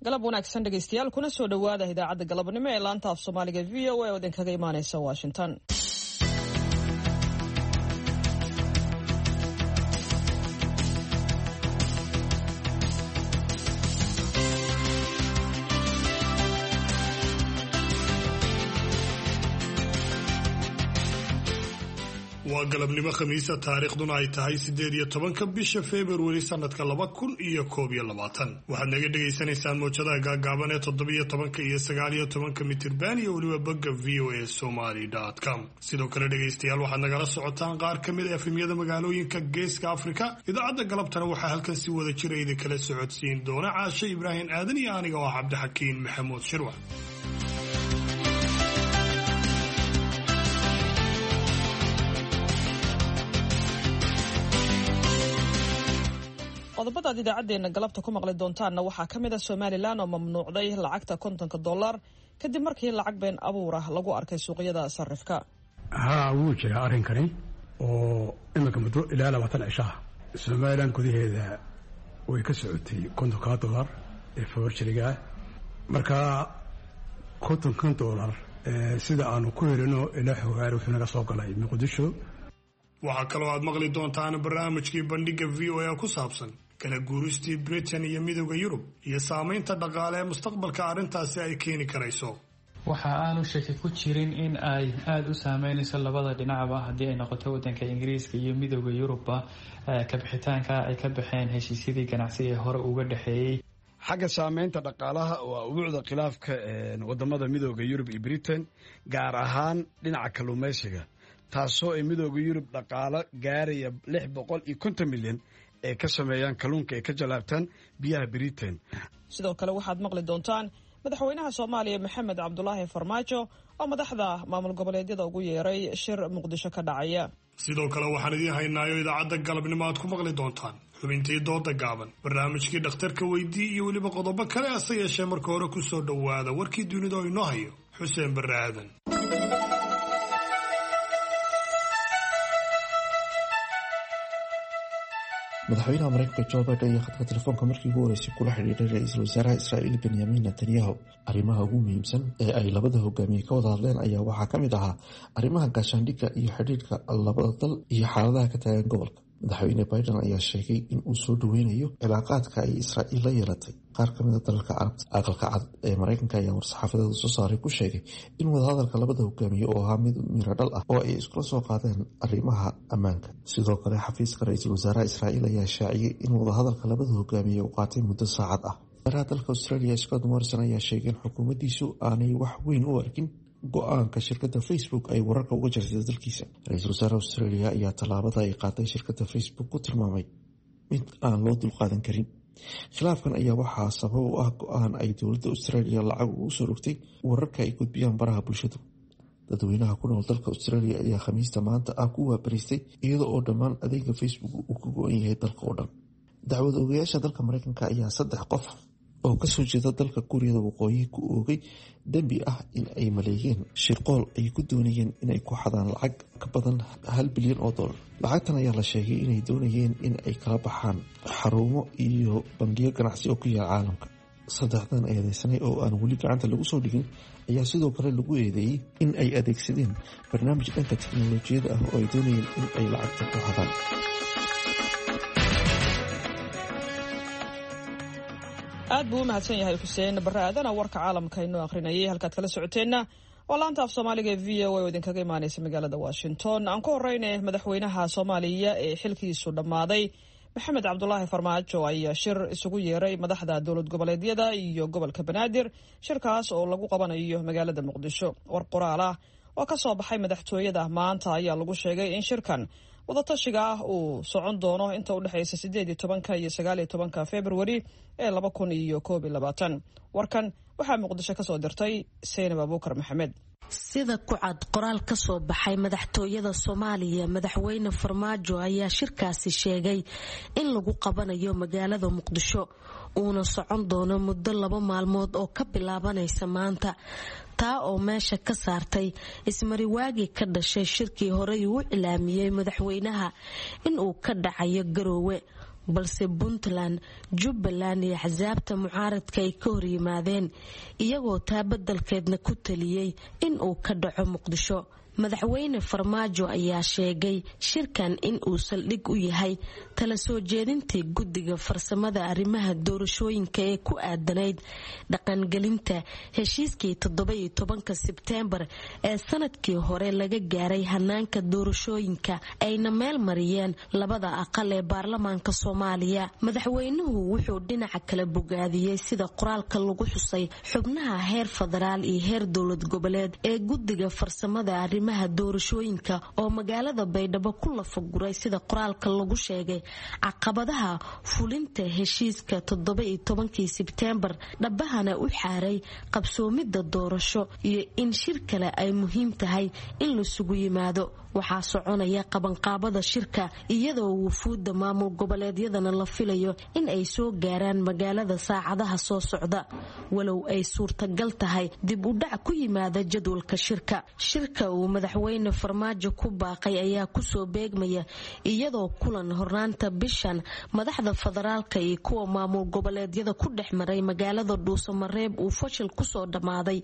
Galab wanaagsan dhegeystayaal, kuna soo dhowaada idaacadda galabnimo ee laanta af Soomaaliga VOA oo idinkaga imaaneysa Washington. Waa galabnimo Khamiisa, taariikhduna ay tahay 18-ka bisha Februari sanadka 2021. Waxaad naga dhagaysanaysaan mowjadaha gaagaaban ee 17-ka iyo 19-ka mitirban iyo weliba bogga voasomali.com. Sidoo kale dhegaystayaal, waxaad nagala socotaan qaar ka mid a efemyada magaalooyinka Geeska Afrika. Idaacadda galabtana waxaa halkan si wada jira idinkala socodsiin doona Caashe Ibraahim Aadan iyo aniga oo ah Cabdixakiin Maxamuud Shirwax. Qodobadaad idaacaddeenna galabta ku maqli doontaanna waxaa ka mid ah Somalilan oo mamnuucday lacagta 50-ka dollar kadib markii lacag been abuur ah lagu arkay suuqyada sarifka. Haa, wuu jiraa arrinkani oo iminka muddo ilaa 20 cishaha Somalilan gudaheeda way ka socotay 50-kaa dollar ee forjarigaa. Markaa 50-kan dollar sida aanu ku helino ilaa xogaar wuxuu naga soo galay Muqdisho. Waxaa kaloo aad maqli doontaan barnaamijkii bandhigga VOA ku saabsan kala guuristii Britain iyo Midooda Yurub iyo saamaynta dhaqaale ee mustaqbalka arrintaasi ay keeni karayso. Waxa aanu shaki ku jirin in ay aada u saameynayso labada dhinacba, haddii ay noqoto wadanka Ingiriiska iyo Midooda Yurubba, kabixitaanka ay ka baxeen heshiisyadii ganacsi ee hore uga dhexeeyey. Xagga saameynta dhaqaalaha waa ubuucda khilaafka wadamada Midooda Yurub iyo Britain, gaar ahaan dhinaca kalluumaysiga, taasoo ay Midooda Yurub dhaqaalo gaaraya 650 milyan ay ka sameeyaan kalluunka ay ka jalaabtaan biyaha Britain. Sidoo kale waxaad maqli doontaan madaxweynaha Soomaaliya Maxamed Cabdulaahi Farmaajo oo madaxda maamul goboleedyada ugu yeeray shir Muqdisho ka dhacaya. Sidoo kale waxaan idiin haynaayo idaacadda galabnimo aad ku maqli doontaan xubintii dooda gaaban, barnaamijkii dhakhtarka weydii iyo weliba qodobo kale, ase yeeshee marka hore ku soo dhowaada warkii dunida oo inoo hayo Xuseen Barre Aadan. Madaxweynaha Mareykanka Joe Biden ayaa khadka telefoonka markii ugu horeysay kula xidhiiray ra-iisul wasaaraha Israa'iil Benyamin Netanyahu. Arrimaha ugu muhiimsan ee ay labada hogaamiye ka wada hadleen ayaa waxaa ka mid ahaa arrimaha gaashaandhigga iyo xidhiidhka labada dal iyo xaaladaha ka taagan gobolka. Madaxweyne Biden ayaa sheegay in uu soo dhoweynayo cilaaqaadka ay Israa'iil la yeelatay qaar ka mid a dalalka Carabta. Aqalka Cad ee Mareykanka ayaa war-saxaafadeeda soo saaray ku sheegay in wadahadalka labada hogaamiye oo ahaa mid miradhal ah oo ay iskula soo qaadeen arrimaha ammaanka. Sidoo kale xafiiska ra-iisul wasaaraha Israa'iil ayaa shaaciyey in wadahadalka labada hogaamiye uu qaatay muddo saacad ah. Wasaaraha dalka Australia Scott Morrison ayaa sheegay in xukuumaddiisu aanay wax weyn u arkin go-aanka shirkadda Facebook ay wararka uga jartay dalkiisa. Ra-iisul wasaaraha Australia ayaa tallaabada ay qaaday shirkadda Facebook ku tilmaamay mid aan loo dulqaadan karin. Khilaafkan ayaa waxaa sabab u ah go-aan ay dowladda Australia lacag ugu soo rogtay wararka ay gudbiyaan baraha bulshadu. Dadweynaha ku nool dalka Australia ayaa Khamiista maanta ah ku waabariistay iyada oo dhammaan adeega Facebook uu ka go-an yahay dalka oo dhan. Dacwad ogayaasha dalka Mareykanka ayaa saddex qof oo kasoo jeeda dalka Kuuriyada Waqooyi ku oogay dembi ah in ay maleeyeen shirqool ay ku doonayeen inay ku xadaan lacag ka badan 1 bilyan oo dollar. Lacagtan ayaa la sheegay inay doonayeen in ay kala baxaan xarumo iyo bangiyo ganacsi oo ku yaal caalamka. Saddexdan eedeysanay oo aan weli gacanta lagu soo dhigin ayaa sidoo kale lagu eedeeyey in ay adeegsadeen barnaamij dhanka teknolojiyada ah oo ay doonayeen in ay lacagta ku xadaan. Aad buu u mahadsan yahay Xuseen Barre Aadana, warka caalamka inoo akhrinayay. Halkaad kala socoteenna waa laanta af Soomaaliga ee VOA oo idinkaga imaaneysa magaalada Washington. Aan ku horeyne, madaxweynaha Soomaaliya ee xilkiisu dhammaaday Maxamed Cabdulaahi Farmaajo ayaa shir isugu yeeray madaxda dowlad goboleedyada iyo gobolka Banaadir, shirkaas oo lagu qabanayo magaalada Muqdisho. War qoraal ah oo ka soo baxay madaxtooyada maanta ayaa lagu sheegay in shirkan wadatashiga ah uu socon doono inta udhexeysa 18-ka iyo 19-ka Februari ee 2021. Warkan waxaa Muqdisho kasoo dirtay Seynab Abuukar Maxamed. Sida ku cad qoraal ka soo baxay madaxtooyada Soomaaliya, madaxweyne Farmaajo ayaa shirkaasi sheegay in lagu qabanayo magaalada Muqdisho, uuna socon doono muddo 2 maalmood oo ka bilaabanaysa maanta, taa oo meesha ka saartay ismariwaagii ka dhashay shirkii horey uu cilaamiyey madaxweynaha in uu ka dhacayo Garoowe. Balse Puntland, Jubbaland iyo axsaabta mucaaradka ay ka horyimaadeen, iyagoo taa beddelkeedna ku taliyey in uu ka dhaco Muqdisho. Madaxweyne Farmaajo ayaa sheegay shirkan in uu saldhig u yahay tala soo jeedintii guddiga farsamada arrimaha doorashooyinka ee ku aadanayd dhaqangelinta heshiiskii 17-ka Sebteembar ee sanadkii hore laga gaaray hanaanka doorashooyinka, ayna meel mariyeen labada aqal ee baarlamaanka Soomaaliya. Madaxweynuhu wuxuu dhinaca kale bogaadiyey, sida qoraalka lagu xusay, xubnaha heer federaal iyo heer dowlad goboleed ee guddiga farsamada arrimaha doorashooyinka oo magaalada Baydhabo ku lafaguray, sida qoraalka lagu sheegay, caqabadaha fulinta heshiiska 17-kii Sebteembar, dhabahana u xaaray qabsoomida doorasho iyo in shir kale ay muhiim tahay in lasugu yimaado. Waxaa soconaya qabanqaabada shirka, iyadoo wufuudda maamul goboleedyadana la filayo in ay soo gaaraan magaalada saacadaha soo socda, walow ay suurtagal tahay dib u dhac ku yimaada jadwalka shirka. Shirka uu madaxweyne Farmaajo ku baaqay ayaa kusoo beegmaya iyadoo kulan hornaanta bishan madaxda federaalka iyo kuwa maamul goboleedyada ku dhex maray magaalada Dhuusamareeb uu fashil kusoo dhammaaday,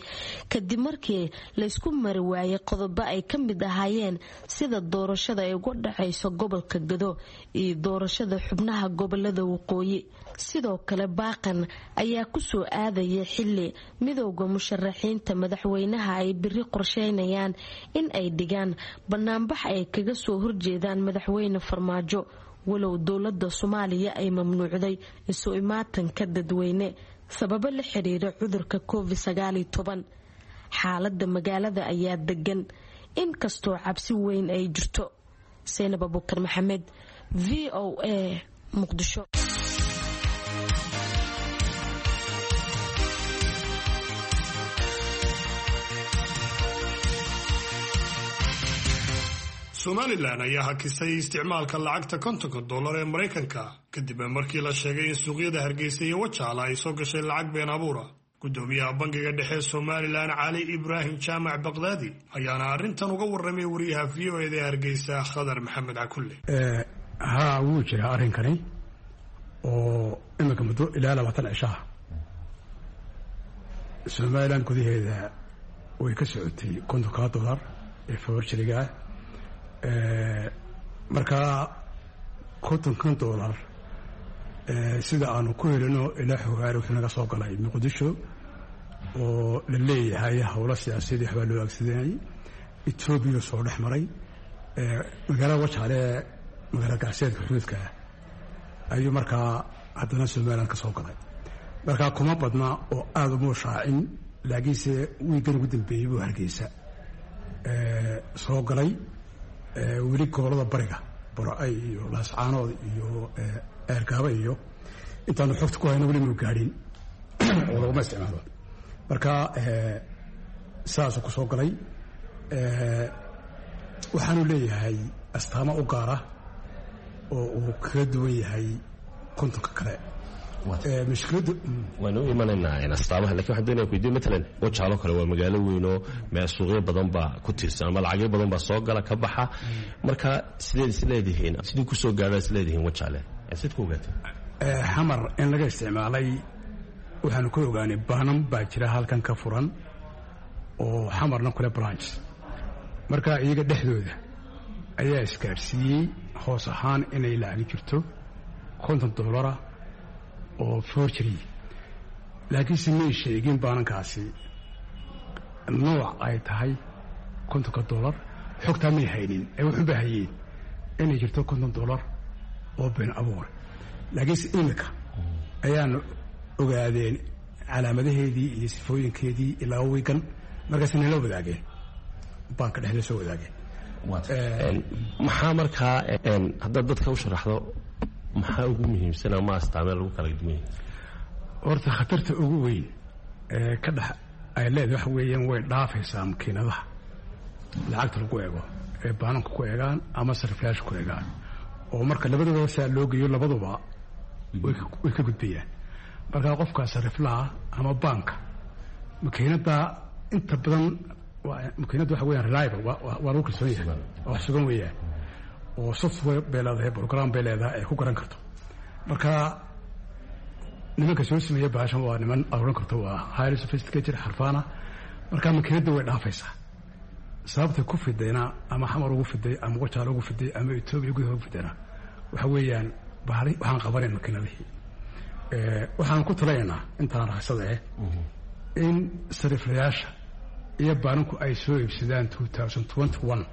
kadib markii laysku mari waayay qodobo ay ka mid ahaayeen sida doorashada ay uga dhacayso gobolka Gado iyo doorashada xubnaha gobolada waqooyi. Sidoo kale, baaqan ayaa kusoo aadaya xili midowda musharaxiinta madaxweynaha ay biri qorsheynayaan in ay dhigaan banaanbax ay kaga soo horjeedaan madaxweyne Farmaajo, walow dowlada Soomaaliya ay mamnuucday isu imaatanka dadweyne sababo la xiriira cudurka Covid. Xaalada magaalada ayaa degan, inkastoo cabsi weyn ay jirto. Seynab Abukar Maxamed, VOA, Muqdisho. Somalilan ayaa hakisay isticmaalka lacagta $50 ee Maraykanka, kadib markii la sheegay in suuqyada Hargeysa iyo Wajaala ay soo gashay lacag been abuura. Gudoomiyaha Bangiga Dhexe Somalilan, Cali Ibraahim Jaamac Baqdaadi, ayaana arrintan uga warramay wariyaha VOA da ee Hargeysa, Khadar Maxamed Cakulle. Haa, wuu jiraa arrinkani oo iminka muddo ilaa 20 cishaha Somalilan gudaheeda way ka socotay $50 ee forgery-ga ah. Markaa $50-kan sida aanu ku helino ilaa xogaari wuxuu naga soo galay Muqdisho, oo la leeyahay howlo siyaasadeed waxbaa loo aagsadanayay. Etoobiya soo dhex maray magaalada Wajaale, magaalada gacseedka xuduudka ah, ayuu markaa haddana Somalilan ka soo galay. Markaa kuma badna oo aada uma shaacin, laakiinse wiigan ugu dambeeyey buu Hargeysa soo galay. Weli gobolada bariga, Borocay iyo Laascaanood iyo Eergaaba iyo intaanu xogta ku hayno, weli mau gaadhin oo laguma isticmaalo. Marka saasuu ku soo galay. Waxaanu leeyahay astaamo u gaara oo uu kaga duwan yahay 50-ka kale. Mushkiladdu Waanu u imanaynaa astaamaha, lakin waxaan doonaya kuweydiyo, matalan Wajaalo kale waa magaalo weyn oo suuqyo badan baa ku tiirsan ama lacagyo badan baa soo gala ka baxa. Marka sideed is leedihiin, sidii kusoo gaadhaa is leedihiin Wajaale, sid ku ogaatay? Xamar in laga isticmaalay waxaanu ka ogaanay baanan baa jira halkan ka furan oo Xamarna kule branch. Marka iyaga dhexdooda ayaa isgaadhsiiyey hoos ahaan inay lacagi jirto $50 oo forgery, laakiinse may sheegin baanankaasi nooc ay tahay $50. Xogtaa may haynin ee wuxuunba hayeen inay jirto $50 oo been abuur. Laakiinse imika ayaanu ogaadeen calaamadaheedii iyo sifooyinkeedii ilaa wiigan, markaas nala wadaageen, baanka dhexda soo wadaageen. Maxaa markaa haddaad dadka u sharaxdo, maxaa ugu muhiimsan ama astaamee lagu kala duwan yahay? Horta khatarta ugu weyn ee ka dhex ay leedahay waxa weeyaan way dhaafaysaa makiinadaha lacagta lagu eego ee baananka ku eegaan ama sarifyaasha ku eegaan, oo marka labadaba saa loo geeyo labaduba way ka gudbayaan. Markaa qofka sariflaha ama baanka makiinada inta badan, makiinadda waxa weyaan reliable, waa lagu kalsoon yahay, waa wax sugan weeyaan, oo software bay leedahay, program bay leedahay ay ku garan karto. Marka nimanka soo sameeya bahashan waa niman aad oran karto waa highly sophisticated xarfaana. Marka makiinadda way dhaafaysaa. Sababta ku fidayna ama Xamar ugu fiday ama Wajaale ugu fiday ama Etoobiya gudaha ugu fidayna waxa weeyaan bahali waxaan qabanayn makiinadihii. Waxaan ku talinaynaa intaan raaxsada in sariflayaasha iyo baananku ay soo iibsadaan 2021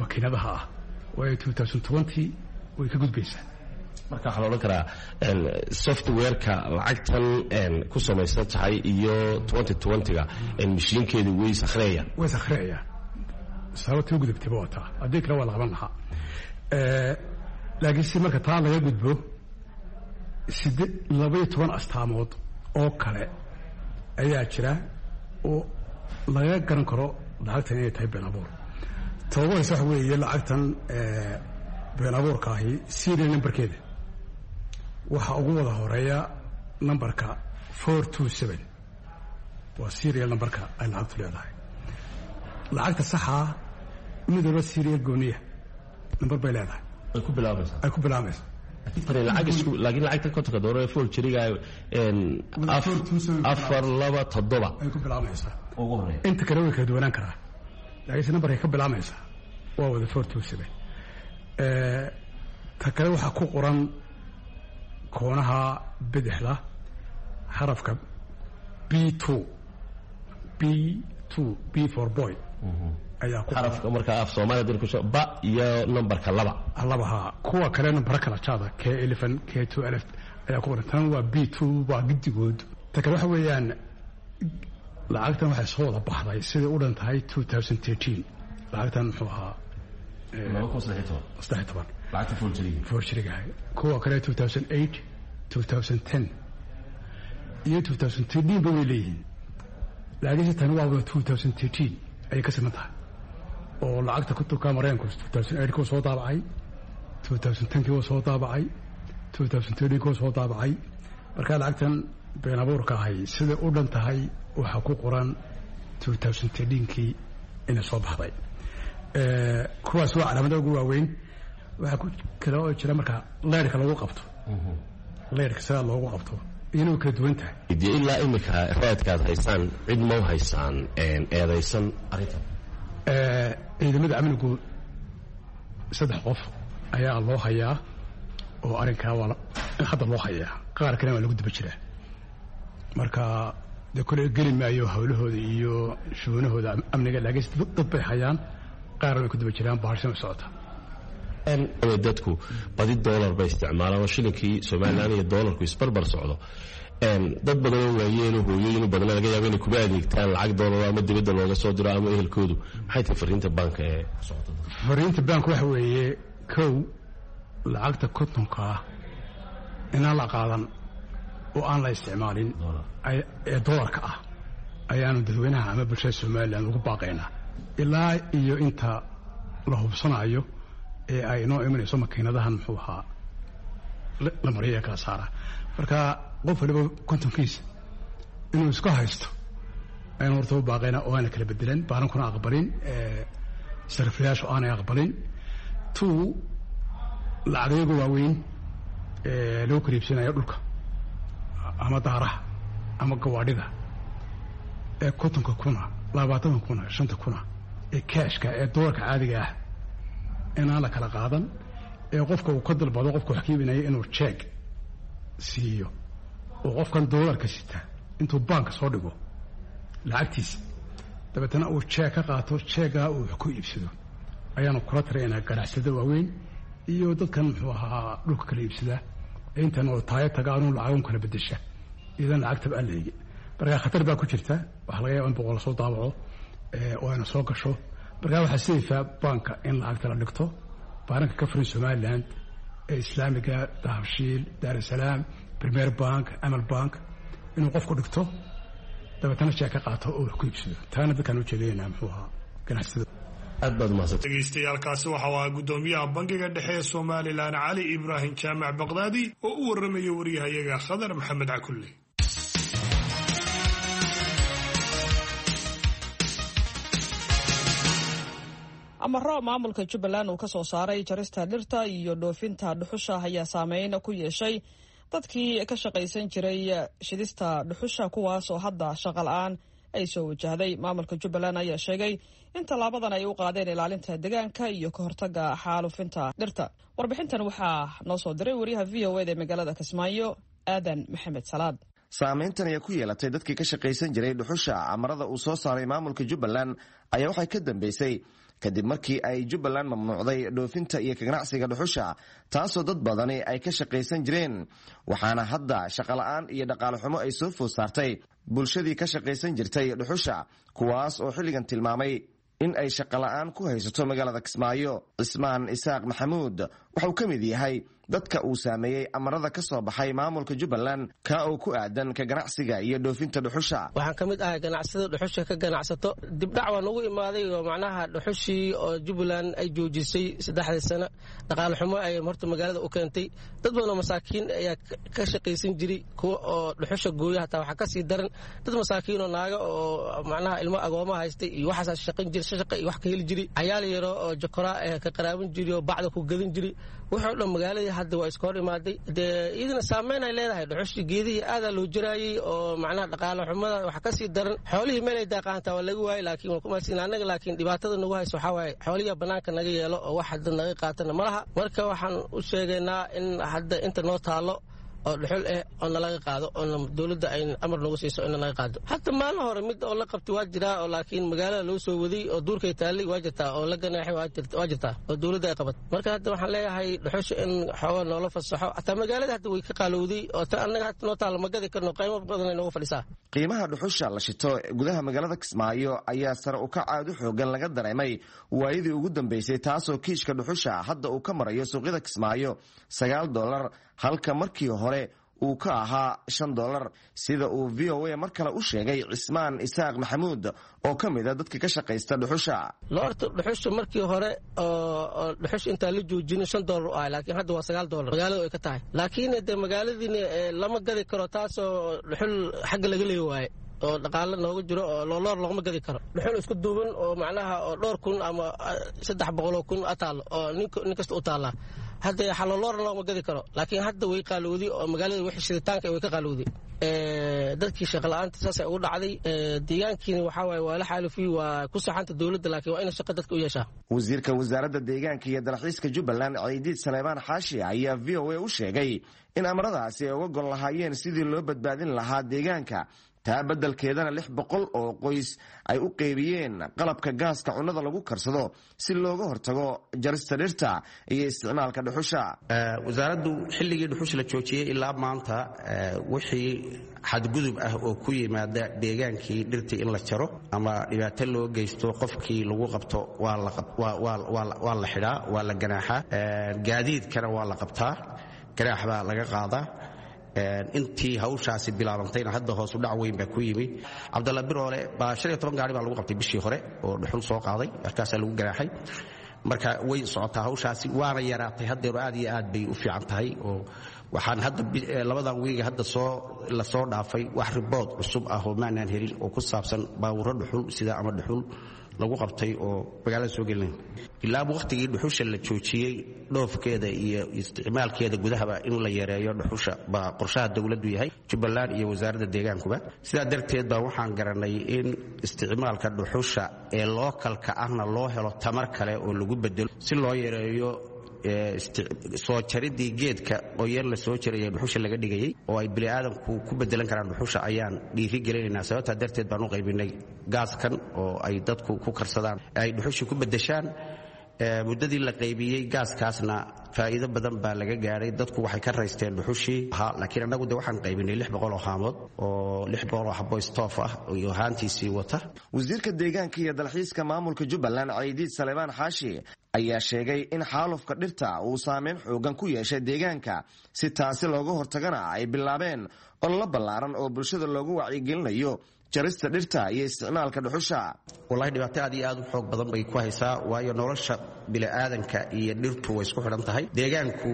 makiinadaha ah, waayo 2020 way ka gudbaysaa. Marka waxaa la odhan karaa softwareka lacagtan ku samaysan tahay iyo 2020-ga mashiinkeedu way sakhriyayaan. Way sakhriyayaan. Sababta u gudubtayba waa taa, haddii kale waa la qaban lahaa. Laakiin si marka taa laga gudbo, 12 astaamood oo kale ayaa jira oo laga garan karo lacagtan inay tahay been abuur. Toba horeysa waxa weeye lacagtan been abuurka ahi serial numberkeeda waxaa ugu wada horeeya numberka 427, waa serial numberka ay lacagtu leedahay. Lacagta saxaa mid walba serial gooniya number bay leedahay. Ay ku bilaabaysaa. Ay ku bilaabaysa. Laakiin lacagta 50-ka doolar ee forgeryga 427 ay ku bilaabaysaa. Ugu horeeya. Inta kale way kala duwanaan karaa, laakiinse numberkay ka bilaabaysaa waa wada 427. Ta kale waxaa ku qoran koonaha bidixda xarafka B2, B2, B for boy ayaa ku xarafka. Marka af Soomaaliya dir ku ba iyo numberka 2. Labaha kuwa kale nambaro kala jaada, K11, K2 alif ayaa ku qoran. Tan waa B2, waa giddigood. Ta kale waxa weeyaan lacagtan waxay soo wada baxday siday u dhan tahay 2013. Lacagtan muxuu ahaa 13 lacagta forgeryga. Forgeryga. Kuwa kale 2008, 2010 iyo 2013 ba way leeyihiin, laakiinse tani waa wada 2013 ayay ka siman tahay, oo lacagta kontonka Maraykanku 2008 kuu soo daabacay, 2010 kii soo daabacay, 2013 kuu soo daabacay. Marka lacagtan been abuurka ahay siday u dhan tahay waxaa ku qoran 2013kii inay soo baxday. Kuwaas waa calaamadaha ugu waaweyn. Waxaa ku kale oo jira marka leyrka lagu qabto, leyrka sidaa loogu qabto iyana way kala duwan tahay. Dee ilaa imika raadkaad haysaan cid ma haysaan eedaysan arrintan? Ciidamada amnigu saddex qof ayaa loo hayaa oo arrinkaa waa hadda loo hayaa, qaar kalena waa lagu daba jiraa. Marka dee kole geli maayo hawlahooda iyo shuunahooda amniga, laakiin dad bay hayaan, qaarna way ku daba jiraan, bahashan way socota. Dadku badi doolar bay isticmaalaan oo shilinkii Somalilan iyo doolarku isbarbar socdo. Dad badanoo waayeeno hooyooyinu badana laga yaabo inay kuba adeegtaan lacag doolar ama dibadda looga soo diro ama ehelkoodu. Maxay tahay fariinta banka ee ku socota? Fariinta bank waxa weeye, kow, lacagta 50-ka ah inaan la qaadan oo aan la isticmaalin ee doolarka ah ayaanu dadweynaha ama bulshada Somalilan ugu baaqaynaa ilaa iyo inta la hubsanayo ee ay inoo imanayso makiinadahan muxuu ahaa la mariya ee kala saara. Marka qof waliba 50-kiisa inuu isku haysto ayaan horta u baaqaynaa oo aana kala bedelan, baanankuna aqbalin, sariflayaashu aanay aqbalin. Two, lacagayaga waaweyn ee lagu kala iibsanayo dhulka ama daaraha ama gawaadhida ee 50-ka kuna, 20-ka kuna, 5-ta kuna ee kaashka ee doolarka caadiga ah inaan la kala qaadan, ee qofka uu ka dalbado qofka wax ka iibinaya inuu jeeg siiyo, oo qofkan doolarka sita intuu baanka soo dhigo lacagtiisa dabeetana uu jeeg ka qaato, jeeggaa uu wax ku iibsado ayaanu kula tiraynaa ganacsada waaweyn iyo dadkan muxuu ahaa dhulka kala iibsada ee intan oo taayo taga anuu lacagun kala bedesha idan lacagtaba aan la eegin. Marka khatar baa ku jirta, waxaa laga yaaba in 100 lasoo daabaco oo ayna soo gasho. Marka waxaa sidaysaa baanka in lacagta la dhigto, baananka ka furan Somaliland ee Islaamiga, Dahabshiil, Daarusalaam, Premier Bank, Amal Bank, inuu qofku dhigto dabeetana jeeg ka qaato oo wax ku iibsado. Taana dadkaan ujeedaynaa muxuu ahaa ganacsatada. Aad baad umahadsantay. Dhegeystayaaalkaasi waxa uu ahaa guddoomiyaha Bangiga Dhexe ee Somalilan, Cali Ibraahim Jaamac Baqdaadi, oo u warramaya wariyahayaga Khadar Maxamed Cakulle. Amaro maamulka Jubbaland uu ka soo saaray jarista dhirta iyo dhoofinta dhuxusha ayaa saameyn ku yeeshay dadkii ka shaqaysan jiray shidista dhuxusha, kuwaas oo hadda shaqa la-aan ay soo wajahday. Maamulka Jubbaland ayaa sheegay in tallaabadan ay u qaadeen ilaalinta deegaanka iyo ka hortagga xaalufinta dhirta. Warbixintan waxaa noo soo diray wariyaha v o eda ee magaalada Kismaayo, Aadan Maxamed Salaad. Saameyntan ayaa ku yeelatay dadkii ka shaqaysan jiray dhuxusha. Amarada uu soo saaray maamulka Jubbaland ayaa waxay ka dambeysay kadib markii ay Jubbaland mamnuucday dhoofinta iyo kaganacsiga dhuxusha, taasoo dad badani ay ka shaqaysan jireen, waxaana hadda shaqola'aan iyo dhaqaale xumo ay soo food saartay bulshadii ka shaqaysan jirtay dhuxusha, kuwaas oo xilligan tilmaamay in ay shaqola'aan ku haysato magaalada Kismaayo. Cismaan Isaaq Maxamuud wuxuu ka mid yahay dadka uu saameeyey amarada ka soo baxay maamulka Jubbaland, ka oo ku aadan ka ganacsiga iyo dhoofinta dhuxusha. Waxaan ka mid ahay ganacsada dhuxusha ka ganacsato. Dibdhac waa nagu imaaday oo macnaha dhuxushii oo Jubbaland ay joojisay 3dii sano, dhaqaale xumo ay horta magaalada u keentay. Dad badan oo masaakiin ayaa ka shaqaysan jiray, kuwa oo dhuxusha gooya hataa waxaa kasii daran dad masaakiin oo naaga oo macnaha ilmo agooma haystay iyo waxaasaa shaqan jiray, shaqa iyo wax ka heli jiray, cayaal yaro oo jokoraa eh ka qaraaban jiray oo bacda ku gadan jiray. Wuxuu dhan magaaladii hadda waa iska hor imaaday. Dee iyadana saameyn ay leedahay dhuxushii, geedihii aadaa loo jiraayey oo macnaha dhaqaale xumada waxa kasii daran xoolihii meel ay daaqaantaa waa laga waayey. Laakiin waa kumaadsin annaga, laakiin dhibaatada nagu hayso waxaa waaye xoolihiia bannaanka naga yeelo oo wax hadda naga qaatana ma laha. Marka waxaan u sheegaynaa in hadda inta noo taallo oo dhuxul eh oo nalaga qaado, oo dowladda ay amar nagu siiso in nalaga qaado. Hata maalin hore mid oo la qabtay waa jiraa oo laakiin magaalada loo soo waday oo duurkay taallay waa jirtaa, oo la ganaaxay waa jirtaa oo dowladda ay qabatay. Marka hadda waxaan leeyahay dhuxusha in xooga noola fasaxo, hataa magaalada hadda way ka qaalowday oo ta annaga hadda noo taalla ma gadi karno, qiimo badan ay noogu fadhisaa. Qiimaha dhuxusha la shito gudaha magaalada Kismaayo ayaa sare u kac aad u xoogan laga dareemay waayadii ugu dambeysay, taasoo kiishka dhuxusha hadda uu ka marayo suuqyada Kismaayo $9, halka markii hore uu ka ahaa $5, sida uu v o a mar kale u sheegay Cismaan Isaaq Maxamuud oo ka mid a dadka ka shaqaysta dhuxusha. Loorta dhuxusha markii hore oo dhuxusha intaan la joojinin $5 u ahay, laakiin hadda waa $9 magaalada ay ka tahay. Laakiin dee magaaladiina lama gadi karo, taasoo dhuxul xagga laga leeyi waaye oo dhaqaale nooga jiro oo looloor loogama gadi karo. Dhuxul isku duuban oo macnaha oo dhowr kun ama 300,000 ataalo oo nin kasta u taallaa hadda xalooloorna loogama gadi karo. Laakiin hadda way qaalowday oo magaalada wixii shiditaanka way ka qaalowday. Dadkii shaqola'aanta saasay ugu dhacday. Deegaankiina waxaa waaye waa la xaalufiyey, waa ku saxanta dowladda, laakiin waa ina shaqa dadka u yeeshaa. Wasiirka wasaaradda deegaanka iyo dalxiiska Jubbaland, Ciidiid Saleebaan Xaashi, ayaa v o a u sheegay in amaradaasi ay uga gol lahaayeen sidii loo badbaadin lahaa deegaanka, taa beddelkeedana 600 oo qoys ay u qeybiyeen qalabka gaaska cunnada lagu karsado si looga hortago jarista dhirta iyo isticmaalka dhuxusha. Wasaaraddu xilligii dhuxusha la joojiyey ilaa maanta wixii xadgudub ah oo ku yimaada deegaankii dhirtii in la jaro ama dhibaato loo geysto, qofkii lagu qabto waa la xidhaa, waa la ganaaxaa, gaadiidkana waa la qabtaa, ganaax baa laga qaadaa. Intii hawshaasi bilaabantayna hadda hoosu dhac weyn baa ku yimi. Cabdalla Biroole baa 15 gaari baa lagu qabtay bishii hore oo dhuxul soo qaaday, markaasaa lagu ganaaxay. Marka way socotaa hawshaasi, waana yaraatay haddeero, aad iyo aad bay u fiican tahay. Oo waxaan hadda labadan wiiga hadda soo la soo dhaafay wax ribood cusub ah oo maanaan helin oo ku saabsan baawuro dhuxul sida ama dhuxul lagu qabtay oo magaalada soo gelinay. Ilaaba wakhtigii dhuxusha la joojiyey dhoofkeeda iyo isticmaalkeeda gudahaba in la yareeyo dhuxusha baa qorshaha dowladdu yahay, Jubbaland iyo wasaaradda deegaankuba. Sidaa darteed baa waxaan garanay in isticmaalka dhuxusha ee lookalka ahna loo helo tamar kale oo lagu bedelo si loo yareeyo soo jaridii geedka qoyan la soo jaraya dhuxusha laga dhigayay oo ay bini'aadanku ku bedelan karaan dhuxusha ayaan dhiiri gelinaynaa. Sababtaa darteed baan u qaybinay gaaskan oo ay dadku ku karsadaan, ay dhuxusha ku bedeshaan. Muddadii la qaybiyey gaaskaasna faa'iido badan baa laga gaadhay, dadku waxay ka raysteen dhuxushii. Laakiin annagu de waxaan qaybinay 600 oo haamood oo 600 oo xabo stoof ah iyo haantiisii wata. Wasiirka deegaanka iyo dalxiiska maamulka Jubbaland, Ciidiid Saleebaan Xaashi, ayaa sheegay in xaalufka dhirta uu saameyn xoogan ku yeeshay deegaanka, si taasi looga hortagana ay bilaabeen ololo ballaaran oo bulshada loogu wacyigelinayo jarista dhirta iyo isticmaalka dhuxusha. Wallahi dhibaato aad iyo aad u xoog badan bay ku haysaa, waayo nolosha bini'aadanka iyo dhirtu way isku xidhan tahay. Deegaanku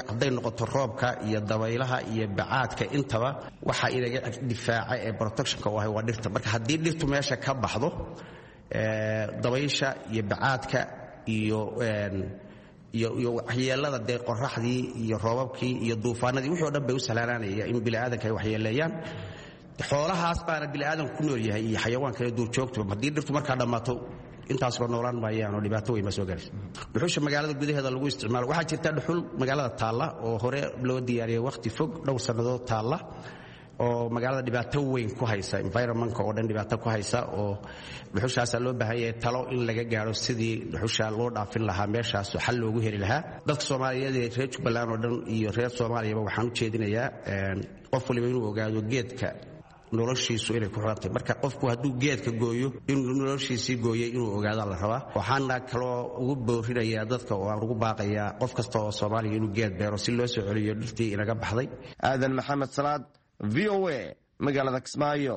hadday noqoto roobka iyo dabaylaha iyo bacaadka, intaba waxa inaga difaaca ee protectionka u ahay waa dhirta. Marka haddii dhirtu meesha ka baxdo, Dabaysha iyo bacaadka iyo iyo waxyeelada dee qoraxdii iyo roobabkii iyo duufaanadii wixii o dhan bay u sahlaanaanaya in biniaadanka ay waxyeeleeyaan. Xoolahaas baana biniaadanku ku nool yahay iyo xayawaanka iyo duurjoogtuba. Haddii dhirtu markaa dhammaato, intaasba noolaan maayaan oo dhibaato weyn baa soo gaaraysa. Dhuxusha magaalada gudaheeda lagu isticmaalo, waxaa jirta dhuxul magaalada taalla oo hore loo diyaariyey, wakhti fog, dhowr sannadood taalla, oo magaalada dhibaato weyn ku haysa, environmentka oo dhan dhibaato ku haysa, oo dhuxushaasaa loo baahan yahay talo in laga gaaro sidii dhuxusha loo dhaafin lahaa meeshaas oo xal loogu heli lahaa. Dadka Soomaaliyeed ee reer Jubbaland oo dhan iyo reer Soomaaliyaba waxaan u jeedinayaa qof waliba inuu ogaado geedka noloshiisu inay ku xidhantahay. Marka qofku hadduu geedka gooyo, inuu noloshiisii gooyey inuu ogaadaa la rabaa. Waxaana kaloo ugu boorinayaa dadka oo aan ugu baaqayaa qof kasta oo Soomaaliya inuu geed beero si loo soo celiyo dhirtii inaga baxday. Aadan Maxamed Salaad, VOA, magaalada Kismaayo.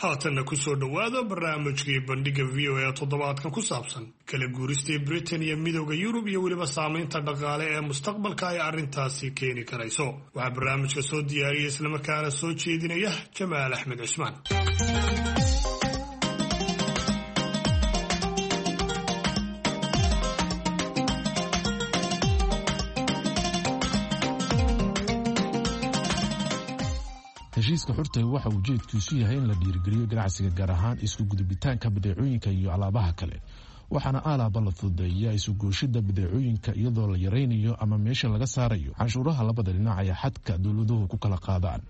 Haatanna ku soo dhowaada barnaamijkii Bandhigga VOA, toddobaadkan ku saabsan kala guuristii Britain iyo Midowda Yurub iyo weliba saamaynta dhaqaale ee mustaqbalka ay arrintaasi keeni karayso. Waxaa barnaamijka soo diyaariyay islamarkaana soo jeedinaya Jamaal Axmed Cusmaan. Heshiiska xurta waxa ujeedkiisu yahay in la dhiirigeliyo ganacsiga, gaar ahaan isku gudubitaanka badeecooyinka iyo alaabaha kale. Waxaana aalaaba la fududeeyaa isugooshida badeecooyinka iyadoo la yaraynayo ama meesha laga saarayo canshuuraha labada dhinac ee xadka dowladuhu ku kala qaadaan.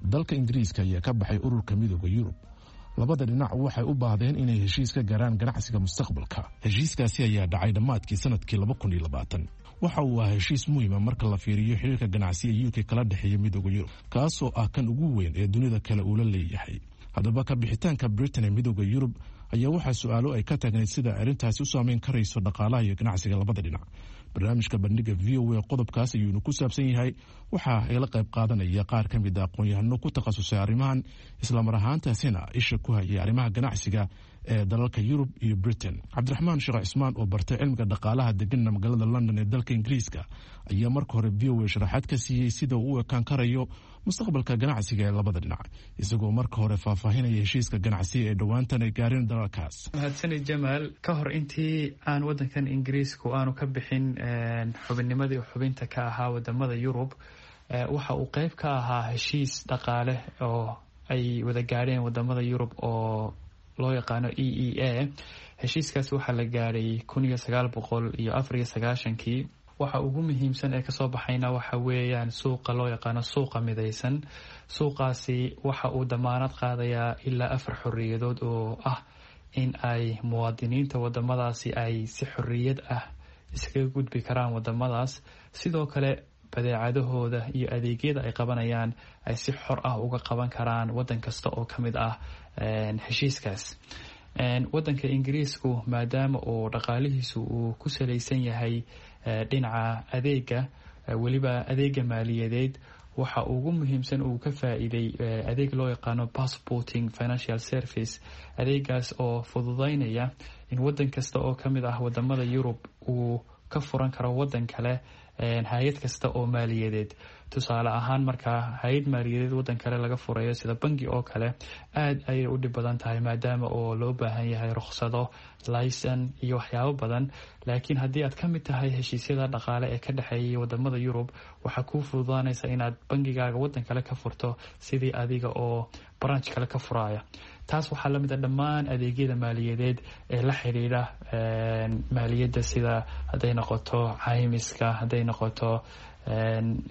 Dalka Ingiriiska ayaa ka baxay ururka Midooda Yurub. Labada dhinac waxay u baahdeen inay heshiis ka gaaraan ganacsiga mustaqbalka. Heshiiskaasi ayaa dhacay dhammaadkii sanadkii. Waxa uu ahaa heshiis muhiima marka la fiiriyo xiriirka ganacsi ee UK kala dhexeeya Midooda Yurub, kaasoo ah kan ugu weyn ee dunida kale uula leeyahay. Haddaba, ka bixitaanka Britain ee Midooda Yurub ayaa waxaa su-aalo ay ka taagnayd sida arrintaasi u saameyn karayso dhaqaalaha iyo ganacsiga labada dhinac. Barnaamijka Bandhiga VOA qodobkaas ayuunu ku saabsan yahay. Waxaa igala qayb qaadanaya qaar ka mid a aqoon-yahano ku takhasusay arrimahan, islamar ahaantaasina isha ku hayay arrimaha ganacsiga ee dalalka Yurub iyo Britain. Cabdiraxmaan Sheekh Cismaan oo bartay cilmiga dhaqaalaha, deganna magaalada London ee dalka Ingiriiska, ayaa marka hore VOA sharaxaad ka siiyey sida uu u ekaan karayo mustaqbalka ganacsiga ee labada dhinac, isagoo marka hore faahfaahinaya heshiiska ganacsiga ee dhowaantan ay gaareen dalalkaas. Mahadsanid, Jamaal. Ka hor intii aan wadankan Ingiriisku aanu ka bixin xubinnimadii xubinta ka ahaa wadamada Yurub, waxa uu qeyb ka ahaa heshiis dhaqaale oo ay wada gaadheen wadamada Yurub oo loo yaqaano EEA. Heshiiskaas waxaa la gaadhay 1994-kii. Waxa ugu muhiimsan ee kasoo baxayna waxa weeyaan suuqa loo yaqaano suuqa midaysan. Suuqaasi waxa uu damaanad qaadayaa ilaa afar xoriyadood, oo ah in ay muwaadiniinta wadamadaasi ay si xoriyad ah iskaga gudbi karaan wadamadaas, sidoo kale badeecadahooda iyo adeegyada ay qabanayaan ay si xor ah uga qaban karaan wadan kasta oo kamid ah heshiiskaas. Wadanka Ingiriisku, maadaama uu dhaqaalihiisu uu ku salaysan yahay dhinaca adeega, weliba adeega maaliyadeed, waxa ugu muhiimsan uu ka faa-iiday adeeg loo yaqaano passporting financial service, adeegaas oo fududeynaya in wadan kasta oo kamid ah wadamada Yurub uu ka furan karo wadan kale hay-ad kasta oo maaliyadeed. Tusaale ahaan, markaa hay-ad maaliyadeed wadan kale laga furayo, sida bangi oo kale, aada ayay u dhib badan tahay, maadaama oo loo baahan yahay rukhsado, licen iyo waxyaabo badan. Laakiin haddii aad ka mid tahay heshiisyada dhaqaale ee ka dhexeeyay wadamada Yurub, waxaa kuu fududaanaysa inaad bangigaaga wadan kale ka furto sidii adiga oo branch kale ka furaya. Taas waxaa lamid a dhammaan adeegyada maaliyadeed ee la xidhiidha maaliyadda, sida hadday noqoto caymiska, hadday noqoto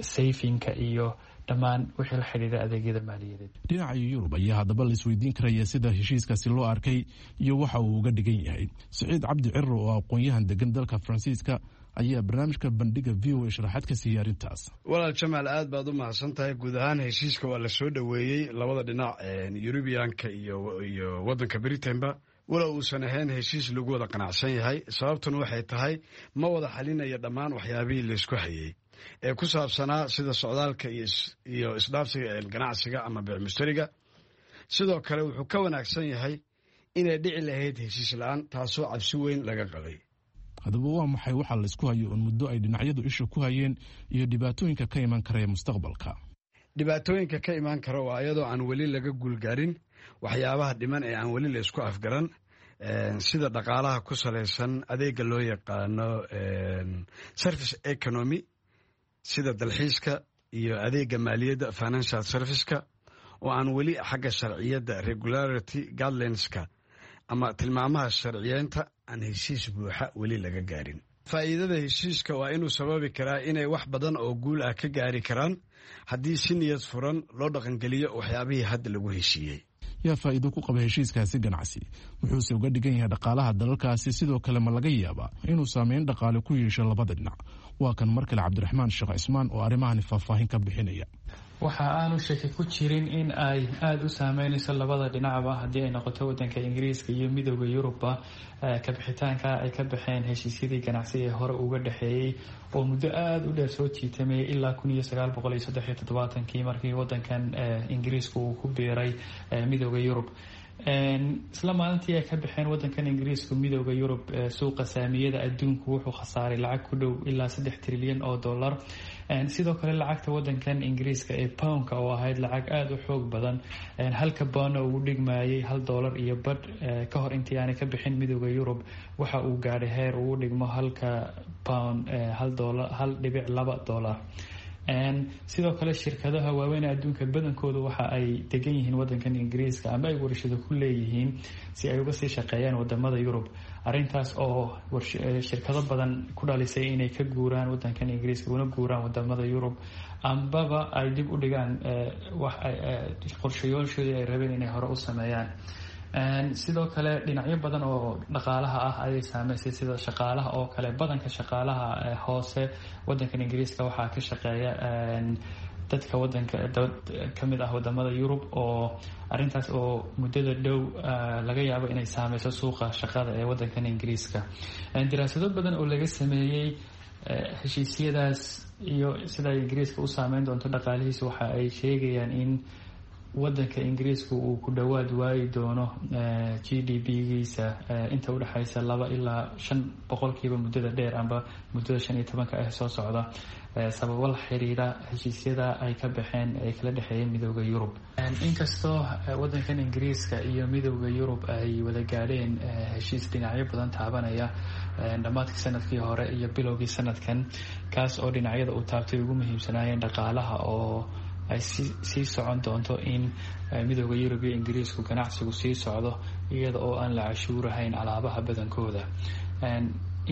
savingka iyo dhammaan wixii la xidhiidha adeegyada maaliyadeed. Dhinaca Yurub ayaa haddaba la isweydiin karaya sida heshiiskaasi loo arkay iyo waxa uu uga dhigan yahay. Siciid Cabdi Ciro oo aqoon-yahan degan dalka Faransiiska ayaa barnaamijka Bandhiga VOA sharaxaad ka siiyey arrintaas. Walaal Jamaal, aad baad u mahadsan tahay. Guud ahaan heshiiska waa la soo dhoweeyey labada dhinac, Yurubiyaanka iyo waddanka Britainba, walow uusan ahayn heshiis lagu wada qanacsan yahay. Sababtuna waxay tahay ma wada xalinaya dhammaan waxyaabihii laysku hayey ee ku saabsanaa sida socdaalka iyo isdhaafsiga ganacsiga ama beec mushtariga. Sidoo kale wuxuu ka wanaagsan yahay inay dhici lahayd heshiis la-aan, taasoo cabsi weyn laga qabay. Haddaba waa maxay waxaa laysku hayo oon muddo ay dhinacyadu isha ku hayeen iyo dhibaatooyinka ka iman karaya mustaqbalka? Dhibaatooyinka ka imaan kara waa iyadoo aan weli laga guulgaarin waxyaabaha dhiman ee aan weli la isku afgaran, sida dhaqaalaha ku salaysan adeega loo yaqaano service economy, sida dalxiiska iyo adeega maaliyadda financial serviceka, oo aan weli xagga sharciyadda regularity guidelinska ama tilmaamaha sharciyeynta aan heshiis buuxa weli laga gaarin. Faa'iidada heshiiska waa inuu sababi karaa inay wax badan oo guul ah ka gaari karaan haddii si niyad furan loo dhaqangeliyo waxyaabihii hadda lagu heshiiyey. Yaa faa'iido ku qaba heshiiskaasi ganacsi? Muxuuse uga dhigan yahay dhaqaalaha dalalkaasi? Sidoo kale ma laga yaabaa inuu saameyn dhaqaale ku yeesho labada dhinac? Waa kan mar kale Cabdiraxmaan Sheekh Cismaan oo arrimahani faahfaahin ka bixinaya. Waxa aanu shaki ku jirin in ay aada u saameyneyso labada dhinacba haddii ay noqoto wadanka Ingiriiska iyo Midooda Yurubba kabixitaanka ay ka baxeen heshiisyadii ganacsi ee hore uga dhexeeyey oo muddo aada u dheer soo jiitamayay ilaa 1973-kii markii wadankan Ingiriiska uu ku biiray Midooda Yurub. Isla maalintii ay ka baxeen wadankan Ingiriisku Midooda Yurub, suuqa saamiyada adduunku wuxuu khasaaray lacag ku dhow ilaa 3 trilyan oo dollar. Sidoo kale lacagta wadankan Ingiriiska ee poundka, oo ahayd lacag aada u xoog badan, halka poundna uu dhigmayay $1 iyo badh ka hor intii aanay ka bixin Midooda Yurub, waxa uu gaadhay heer uu dhigmo halka pound $1 $1.2. Sidoo kale shirkadaha waaweyn ee adduunka badankoodu waxa ay degan yihiin wadankan Ingiriiska ama ay warshado ku leeyihiin si ay uga sii shaqeeyaan wadamada Yurub, arrintaas oo shirkado badan ku dhalisay inay ka guuraan wadankan Ingiriiska una guuraan wadamada Yurub, ambaba ay dib u dhigaan qorshayooshoodii ay rabeen inay hore u sameeyaan. Sidoo kale dhinacyo badan oo dhaqaalaha ah ayay saameysay, sida shaqaalaha oo kale. Badanka shaqaalaha hoose wadankan Ingiriiska waxaa ka shaqeeya dadka wadanka kamid ah wadamada Yurub, oo arintaas oo muddada dhow laga yaabo inay saameyso suuqa shaqada ee wadankan Ingiriiska. Daraasado badan oo laga sameeyey heshiisyadaas iyo sida ay Ingiriiska u saameyn doonto dhaqaalihiisa waxa ay sheegayaan in wadanka Ingiriiska uu ku dhowaad waayi doono GDP-giisa inta udhexeysa 2 ilaa 5% muddada dheer amba muddada 15-ka ah soo socda, sababo la xiriira heshiisyada ay ka baxeen ay kala dhexeeyeen Midooda Yurub. Inkastoo wadankan Ingiriiska iyo Midooda Yurub ay wada gaadheen heshiis dhinacyo badan taabanaya dhammaadkii sanadkii hore iyo bilowgii sanadkan, kaas oo dhinacyada uu taabtay ugu muhiimsanaayeen dhaqaalaha, oo ay sii socon doonto in Midooda Yurub iyo Ingiriisku ganacsigu sii socdo iyada oo aan la cashuurahayn alaabaha badankooda,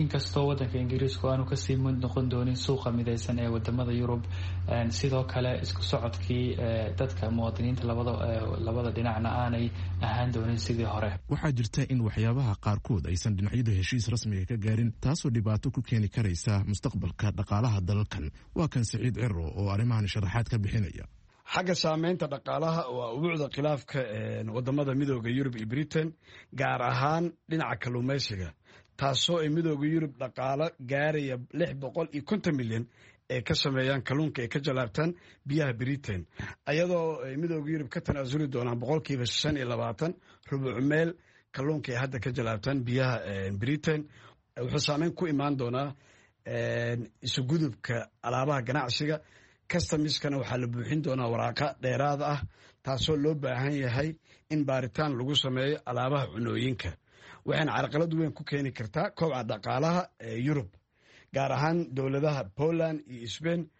inkastoo wadanka Ingiriisku aanu kasii mid noqon doonin suuqa mideysan ee wadamada Yurub. Sidoo kale isku socodkii dadka muwaadiniinta labada dhinacna aanay ahaan doonin sidii hore. Waxaa jirta in waxyaabaha qaarkood aysan dhinacyadu heshiis rasmiga ka gaarin, taasoo dhibaato ku keeni karaysa mustaqbalka dhaqaalaha dalalkan. Waa kan Siciid Ciro oo arrimahan sharaxaad ka bixinaya. Xagga saameynta dhaqaalaha waa ubuucda khilaafka wadamada Midooda Yurub iyo Britain, gaar ahaan dhinaca kalluumaysiga, taasoo ay Midooda Yurub dhaqaalo gaaraya 650 milyan ay ka sameeyaan kalluunka ay ka jalaabtaan biyaha Britain, ayadoo ay Midooda Yurub ka tanaasuli doonaan 25%, rubuc meel kalluunka ay hadda ka jalaabtaan biyaha Britain. Wuxuu saameyn ku imaan doonaa isugudubka alaabaha ganacsiga. Customiskana waxaa la buuxin doonaa waraaqa dheeraad ah, taasoo loo baahan yahay in baaritaan lagu sameeyo alaabaha cunooyinka, waxayna carqalad weyn ku keeni kartaa koobca dhaqaalaha ee Yurub, gaar ahaan dowladaha Poland iyo Spain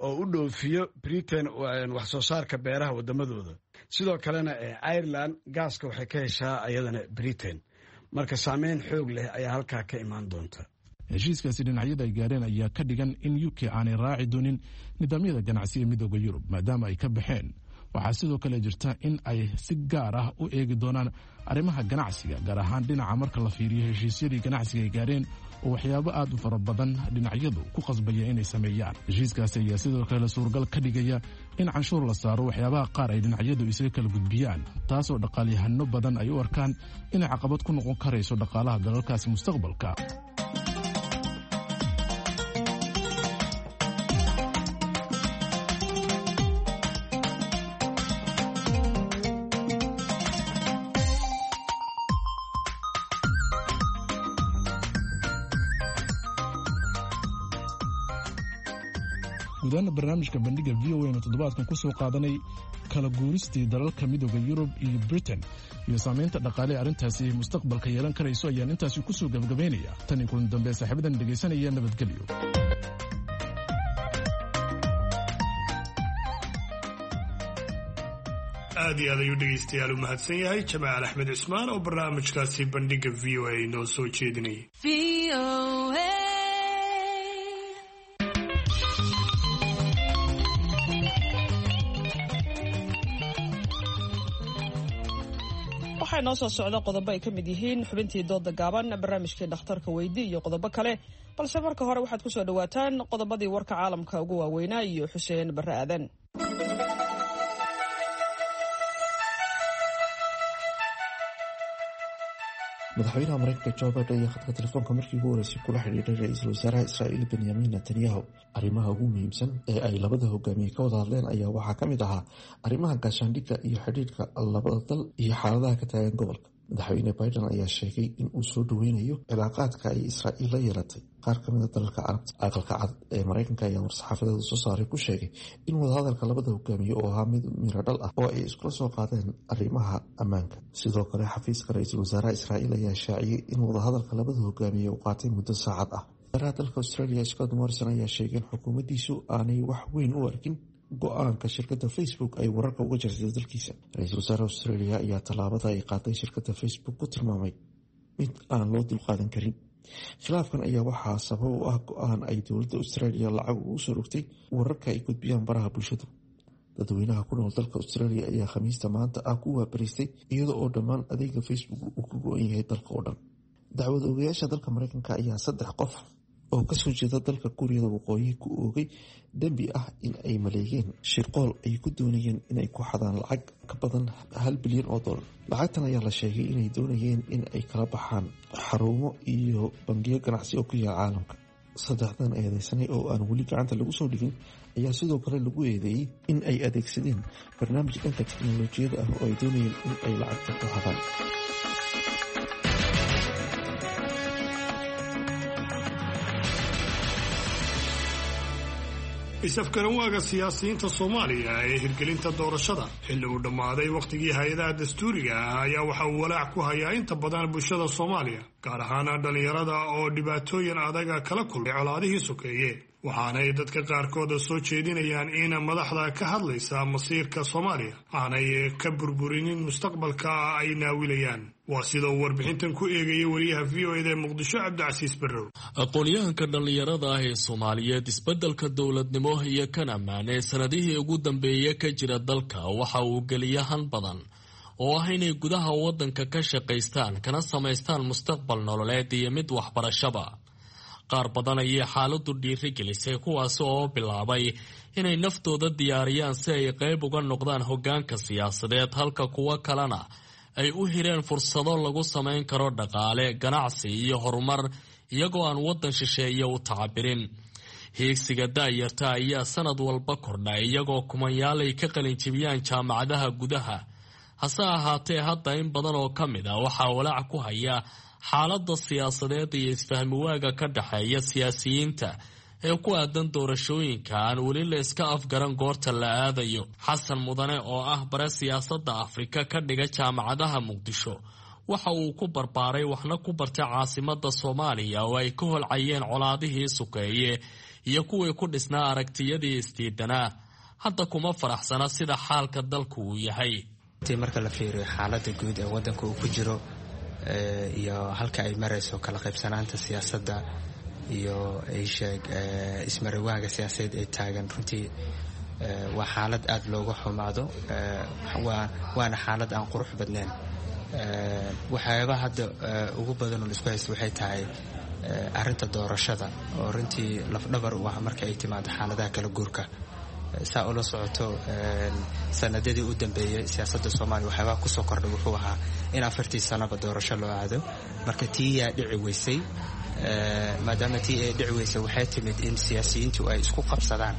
oo u dhoofiyo Britain wax soo saarka beeraha wadamadooda. Sidoo kalena Ireland gaaska waxay ka heshaa ayadana Britain. Marka saameyn xoog leh ayaa halkaa ka imaan doonta. Heshiiskaasi dhinacyada ay gaareen ayaa ka dhigan in UK aanay raaci doonin nidaamyada ganacsi ee Midooda Yurub maadaama ay ka baxeen. Waxaa sidoo kale jirta in ay si gaar ah u eegi doonaan arrimaha ganacsiga, gaar ahaan dhinaca marka la fiiriyo heshiisyadii ganacsiga ay gaareen oo waxyaabo aad u fara badan dhinacyadu ku qasbaya inay sameeyaan. Heshiiskaasi ayaa sidoo kale suuragal ka dhigaya in canshuur la saaro waxyaabaha qaar ay dhinacyadu isaga kala gudbiyaan, taasoo dhaqaalyahano badan ay u arkaan inay caqabad ku noqon karayso dhaqaalaha dalalkaasi mustaqbalka. Guudahaana barnaamijka Bandhiga V O anu toddobaadkan ku soo qaadanay kala guuristii dalalka Midooda Yurub iyo Britain iyo saamaynta dhaqaale ee arrintaasi mustaqbalka yeelan karayso ayaan intaasi ku soo gabagabaynaya. Tan iyo kulan dambe, saaxiibadan dhegaysanaya, nabadgelyo. Aad iyo aad ayuu dhegaystayaal u mahadsan yahay Jamaal Axmed Cismaan oo barnaamijkaasi Bandhiga V O A noo soo jeedinayay. Waxaa inoo soo socda qodobo ay ka mid yihiin xubintii dooda gaaban, barnaamijkii dhakhtarka weydi iyo qodobo kale, balse marka hore waxaad ku soo dhowaataan qodobadii warka caalamka ugu waaweynaa iyo Xuseen Barre Aadan. Madaxweynaha Mareykanka Joe Biden ayaa khadka telefoonka markii ugu horeysay kula xidhiidhay ra-iisul wasaaraha Israa'iil Benyamin Netanyahu. Arrimaha ugu muhiimsan ee ay labada hogaamiye ka wada hadleen ayaa waxaa ka mid ahaa arrimaha gaashaandhigga iyo xidhiidhka labada dal iyo xaaladaha ka taagan gobolka. Madaxweyne Biden ayaa sheegay in uu soo dhoweynayo cilaaqaadka ay Israa'iil la yeelatay qaar ka mid a dalalka Carabta. Aqalka Cad ee Mareykanka ayaa war-saxaafadeeda soo saaray ku sheegay in wadahadalka labada hogaamiye oo ahaa mid miradhal ah oo ay iskula soo qaadeen arrimaha ammaanka. Sidoo kale, xafiiska ra-iisul wasaaraha Israa'iil ayaa shaaciyey in wadahadalka labada hogaamiye uu qaatay muddo saacad ah. Wasaaraha dalka Australia Scott Morrison ayaa sheegay in xukuumaddiisu aanay wax weyn u arkin go-aanka shirkadda Facebook ay wararka uga jartay dalkiisa. Ra-iisul wasaaraha Australia ayaa tallaabada ay qaaday shirkadda Facebook ku tilmaamay mid aan loo dulqaadan karin. Khilaafkan ayaa waxaa sabab u ah go-aan ay dowladda Australia lacag ugu soo rogtay wararka ay gudbiyaan baraha bulshadu. Dadweynaha ku nool dalka Australia ayaa Khamiista maanta ah ku waabariistay iyada oo dhammaan adeega Facebook uu ka go-an yahay dalka oo dhan. Dacwad ogayaasha dalka Mareykanka ayaa saddex qof oo kasoo jeeda dalka Kuuriyada Waqooyi ku oogay dembi ah in ay maleegeen shirqool ay ku doonayeen inay ku xadaan lacag ka badan 1 bilyan oo dollar. Lacagtan ayaa la sheegay inay doonayeen in ay kala baxaan xarumo iyo bangiyo ganacsi oo ku yaal caalamka. Saddexdan eedeysanay oo aan weli gacanta lagu soo dhigin ayaa sidoo kale lagu eedeeyey in ay adeegsadeen barnaamij dhanka teknolojiyada ah oo ay doonayeen in ay lacagta ku xadaan. Is-afgaranwaaga siyaasiyiinta Soomaaliya ee hirgelinta doorashada xilli uu dhammaaday wakhtigii hay-adaha dastuuriga ah ayaa waxa uu walaac ku hayaa inta badan bulshada Soomaaliya, gaar ahaana dhallinyarada oo dhibaatooyin adaga kala kulmay colaadihii sokeeye. Waxaanay dadka qaarkooda soo jeedinayaan in madaxda ka hadlaysa masiirka Soomaaliya aanay ka burburinin mustaqbalka ay naawilayaan. Waa sida uu warbixintan ku eegaya wariyaha V O eda ee Muqdisho, Cabdicasiis Barrow. Aqoon-yahanka dhallinyarada ah ee Soomaaliyeed, isbeddelka dowladnimo iyo kan ammaan ee sanadihii ugu dambeeya ka jira dalka waxa uu geliya han badan oo ah inay gudaha waddanka ka shaqaystaan kana samaystaan mustaqbal nololeed iyo mid waxbarashaba. Qaar badan ayay xaaladdu dhiirigelisay, kuwaas oo bilaabay inay naftooda diyaariyaan si ay qayb uga noqdaan hoggaanka siyaasadeed, halka kuwo kalena ay u hireen fursado lagu samayn karo dhaqaale, ganacsi iyo horumar iyagoo aan waddan shisheeye u tacabirin. Hiigsiga daayarta ayaa sanad walba kordha, iyagoo kumanyaal ay ka qalinjibiyaan jaamacadaha gudaha. Hase ahaatee, hadda in badan oo ka mid ah waxaa walaac ku haya xaaladda siyaasadeed iyo isfahmiwaaga ka dhexeeya siyaasiyiinta ee ku aadan doorashooyinka aan weli la iska afgaran goorta la aadayo. Xasan Mudane oo ah bare siyaasadda Afrika ka dhiga jaamacadaha Muqdisho waxa uu ku barbaaray waxna ku bartay caasimadda Soomaaliya oo ay ka holcayeen colaadihii sukeeye iyo kuwii ku dhisnaa aragtiyadii isdiidanaa. Hadda kuma faraxsana sida xaalka dalku uu yahay. Marka la fiiriyo xaaladda guud ee waddanka uu ku jiro iyo halka ay marayso kala qaybsanaanta siyaasadda iyo isheeg ismarawaaga siyaasadeed ee taagan, runtii waa xaalad aada looga xumaado, waana xaalad aan qurux badnayn. Waxyaabaha hadda ugu badan oo laisku haysto waxay tahay arrinta doorashada oo runtii lafdhabar u ah marka ay timaado xaaladaha kala guurka. Saa ula socoto, sanadadii u dambeeyey siyaasadda Soomaaliya waxyaabaha kusoo kordhay wuxuu ahaa in 4-tii sanaba doorasho loo aado. Marka tii yaa dhici weysay. Maadaama tii ay dhici weysay, waxay timid in siyaasiyiintu ay isku qabsadaan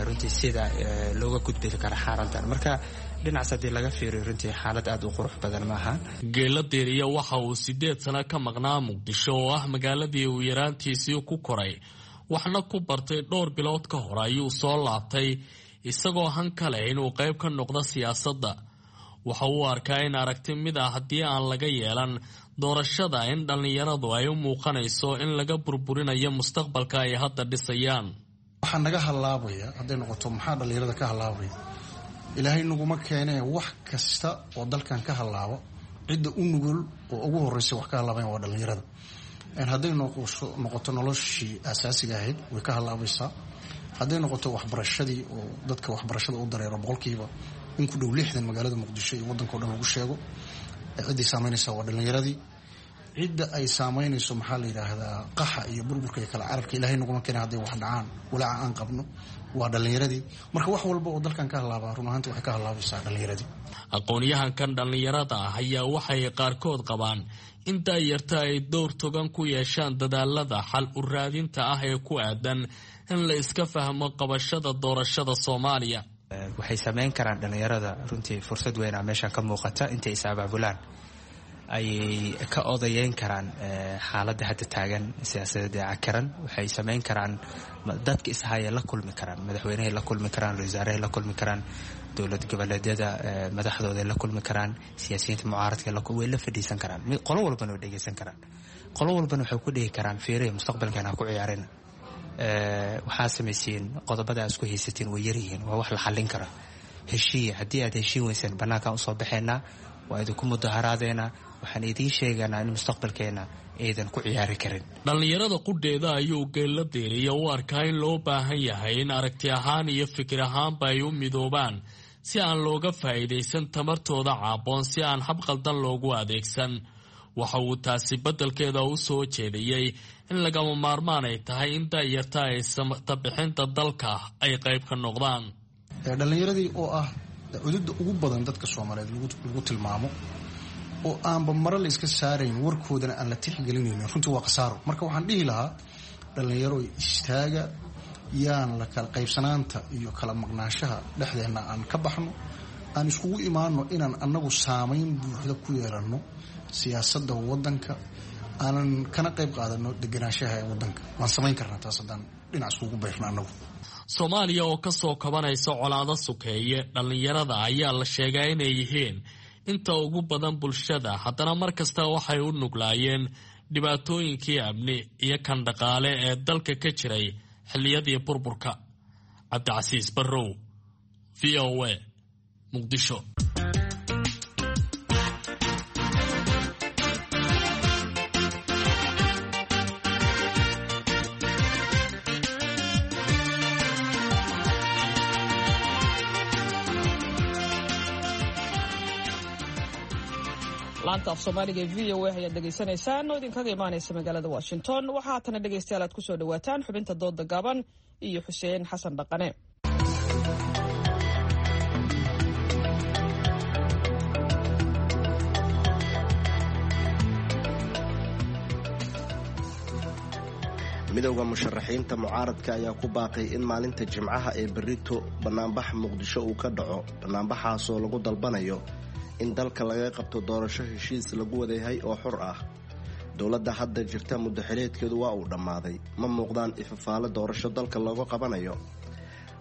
runtii sida looga gudbi kara xaaladdan. Marka dhinacaas haddii laga fiiriyo, runtii xaalad aada u qurux badan maaha. Geela Diiriya waxa uu 8 sano ka maqnaa Muqdisho oo ah magaaladii uu yaraantiisii ku koray. waxna ku bartay dhowr bilood ka hor ayuu soo laabtay isagoo han kale inuu qayb ka noqdo siyaasadda. Waxa uu arkaa in aragti mid ah haddii aan laga yeelan doorashada in dhallinyaradu ay u muuqanayso in laga burburinayo mustaqbalka ay hadda dhisayaan. Waxaa naga hallaabaya hadday noqoto, maxaa dhallinyarada ka hallaabaya? Ilaahay naguma keenee, wax kasta oo dalkan ka hallaabo cidda u nugul oo ugu horreysa wax ka hallaabayan waa dhallinyarada. Hadday noqoto noloshii asaasiga ahayd way ka hallaabaysaa. Hadday noqoto waxbarashadii oo dadka waxbarashada u dareero boqolkiiba in ku dhow 60 magaalada Muqdisho iyo waddanka o dhan lagu sheego, ciddii saameynaysa waa dhallinyaradii. Cidda ay saameynayso maxaa la yidhaahdaa qaxa iyo burburka iyo kala cararka, ilaahay naguma keena hadday wax dhacaan, walaaca aan qabno waa dhallinyaradii. Marka wax walba oo dalkan ka hallaabaa run ahaanti waxay ka hallaabaysaa dhallinyaradii. Aqoon-yahankan dhallinyarada ah ayaa waxay qaarkood qabaan in daayarta ay dowr togan ku yeeshaan dadaalada xal u raadinta ah ee ku aadan in la iska fahmo qabashada doorashada Soomaaliya. Waxay samayn karaan dhallinyarada runtii fursad weynaa meeshan ka muuqata. Intay is abaabulaan ayay ka odayeyn karaan xaaladda hadda taagan siyaasadeed ee cakaran. Waxay samayn karaan dadka ishaya la kulmi karaan, madaxweynehay la kulmi karaan, ra-iisul wasaarahay la kulmi karaan, dowlad goboleedyada madaxdooday la kulmi karaan, siyaasiyiinta mucaaradka way la fadhiisan karaan, qolo walbana way dhegeysan karaan, qolo walbana waxay ku dhihi karaan fiiriya mustaqbalkan ha ku ciyaarina, waxaa samaysiin qodobada isku haysatiin way yaryihiin, waa wax la xallin kara, heshiiya. Haddii aad heshiin weyseen bannaankaan usoo baxaynaa, waa idinku mudaharaadeena, waxaan idiin sheeganaa in mustaqbalkeena aydan ku ciyaari karin. Dhallinyarada qudheeda ayuu geella deeriya u arkaa in loo baahan yahay in aragti ahaan iyo fikir ahaanba ay u midoobaan si aan looga faa'iidaysan tamartooda caaboon, si aan hab qaldan loogu adeegsan. Waxa uu taasi beddelkeeda u soo jeediyey in lagama maarmaan ay tahay in daayarta ay samtabixinta dalka ay qayb ka noqdaan. Dhallinyaradii oo ah cududda ugu badan dadka Soomaaliyeed lagu tilmaamo oo aanba mare la iska saarayn, warkoodana aan la tixgelinaynin, runtii waa khasaaro. Marka waxaan dhihi lahaa dhallinyaro istaaga, yaan la kala qaybsanaanta iyo kala maqnaanshaha dhexdeenna aan ka baxno, aan iskugu imaano inaan annagu saamayn buuxda ku yeelanno siyaasadda waddanka, aanan kana qayb qaadano deganaanshaha ee waddanka. Waan samayn karnaa taas haddaan dhinac iskugu bayrno annagu. Soomaaliya oo ka soo kabanaysa colaado sukeeye, dhallinyarada ayaa la sheegaa inay yihiin inta ugu badan bulshada, haddana mar kasta waxay u nuglaayeen dhibaatooyinkii amni iyo kan dhaqaale ee dalka ka jiray xilliyadii burburka. Cabdicasiis Barrow, v o a, Muqdisho. Laanta af Soomaaliga ee v o a ayaad dhegaysanaysaan oo idinkaga imaanaysa magaalada Washington. Waxaa haatana dhegaystayaal aad kusoo dhawaataan xubinta dooda gaaban iyo Xuseen Xasan Dhaqane. Midowda musharaxiinta mucaaradka ayaa ku baaqay in maalinta Jimcaha ee berrito bannaanbax Muqdisho uu ka dhaco, bannaanbaxaasoo lagu dalbanayo in dalka laga qabto doorasho heshiis lagu wadayahay oo xor ah. Dowladda hadda jirta muddaxileedkeedu waa uu dhammaaday, ma muuqdaan ifafaale doorasho dalka looga qabanayo.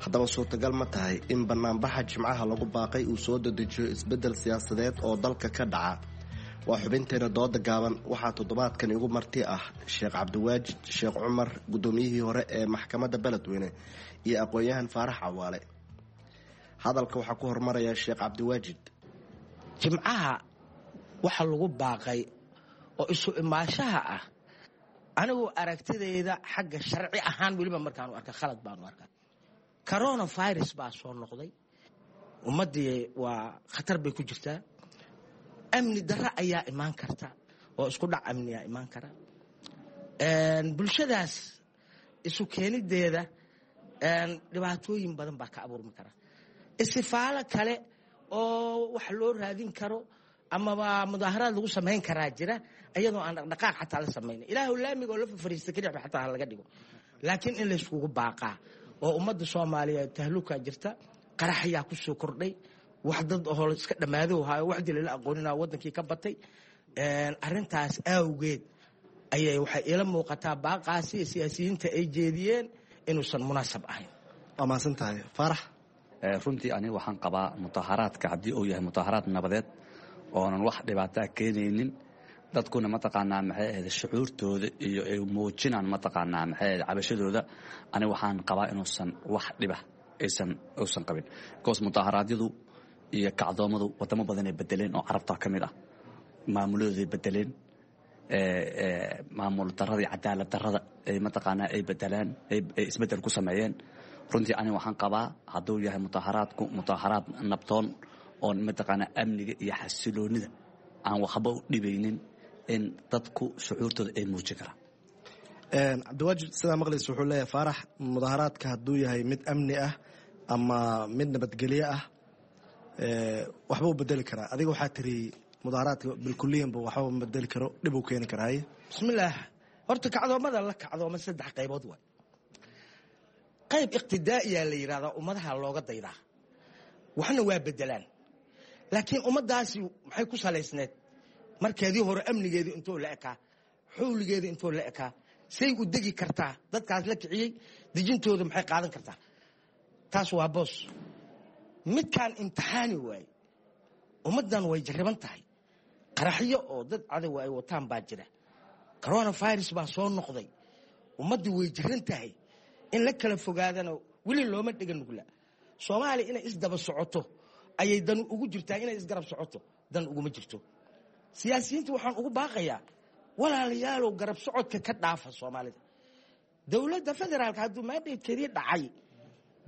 Haddaba suurtagal ma tahay in bannaanbaxa Jimcaha lagu baaqay uu soo dedejiyo isbeddel siyaasadeed oo dalka ka dhaca? Waa xubinteena dooda gaaban. Waxaa toddobaadkan igu marti ah Sheekh Cabdiwaajid Sheekh Cumar, guddoomiyihii hore ee maxkamadda Beledweyne, iyo aqoon-yahan Faarax Cawaale. Hadalka waxaa ku hormaraya Sheekh Cabdiwaajid. Jimcaha waxa lagu baaqay oo isu imaashaha ah, anigu aragtidayda xagga sharci ahaan weliba markaanu arka khalad baanu arkaa. Coronavirus baa soo noqday, ummaddii waa khatar bay ku jirtaa, amni darro ayaa imaan karta oo isku dhac amniyaa imaan kara. Bulshadaas isu keenideeda dhibaatooyin badan baa ka abuurmi kara. Istifaalo kale oo wax loo raadin karo amaba mudaaharaad lagu samayn karaa jira, iyadoo aan dhaqdhaqaaq xataa la samayna, ilaahu laamiga oo la fafariista keliya xataa ha laga dhigo, laakiin in layskugu baaqaa oo ummadda Soomaaliyeed tahlukaa jirta, qaraxyaa ku soo kordhay, wax dad oo iska dhammaado hayo, wax dil la aqoonina wadankii ka batay. Arrintaas awgeed Ayay waxay iila muuqataa baaqaasi siyaasiyiinta ay jeediyeen inuusan munaasab ahayn. Waa mahadsan tahay, Faarax. Runtii aniga waxaan qabaa mudaharaadka haddii uu yahay mudaharaad nabadeed oonan wax dhibaataa keenaynin, dadkuna mataqaanaa maxay ahayd shucuurtooda iyo ay muujinaan mataqaanaa maxay ahayd cabashadooda, aniga waxaan qabaa inuusan wax dhiba aysan uusan qabin, because mudaharaadyadu iyo kacdoomadu wadamo badanay bedeleen oo carabta ka mid ah, maamuladooday bedeleen, maamul darada iyo cadaalad darada ay mataqaanaa ay bedelaan, ay isbedel ku sameeyeen. Runtii aniga waxaan qabaa hadduu yahay mudaharaadku mudaharaad nabdoon oon mataqaanaa amniga iyo xasiloonida aan waxba u dhibaynin, in dadku shucuurtooda ay muujin karaan. Cabdiwaajid, sidaa maqlaysa wuxuu leeyahay Faarax, mudaharaadka hadduu yahay mid amni ah ama mid nabadgelyo ah waxba u bedeli karaa. Adiga waxaa tiri mudaharaadka bilkuliyanba waxba ma bedeli karo, dhib uu keeni karaa. Haye. Bismillaah. Horta kacdoomada la kacdooma saddex qaybood waay. Qayb iqtidaa'iyaa la yidhahdaa, ummadaha looga daydaa, waxna waa bedelaan, laakiin ummaddaasi maxay ku salaysneed markeedii hore? Amnigeedii intuu la ekaa, xawligeedii intuu la ekaa, say u degi kartaa dadkaas la kiciyey dejintooda maxay qaadan kartaa? Taas waa boos. Midkaan imtixaani waaye, ummaddan way jarriban tahay, qaraxyo oo dad cadowa ay wataan baa jira, coronavirus baa soo noqday, ummaddii way jiran tahay, in la kala fogaadana weli looma dhega nugla. Soomaaliya inay isdaba socoto ayay dan ugu jirtaa, inay isgarab socoto dan uguma jirto. Siyaasiyiinta waxaan ugu baaqayaa, walaalayaalow, garab socodka ka dhaafa Soomaalida. Dowladda federaalka hadduu mandatekeedii dhacay,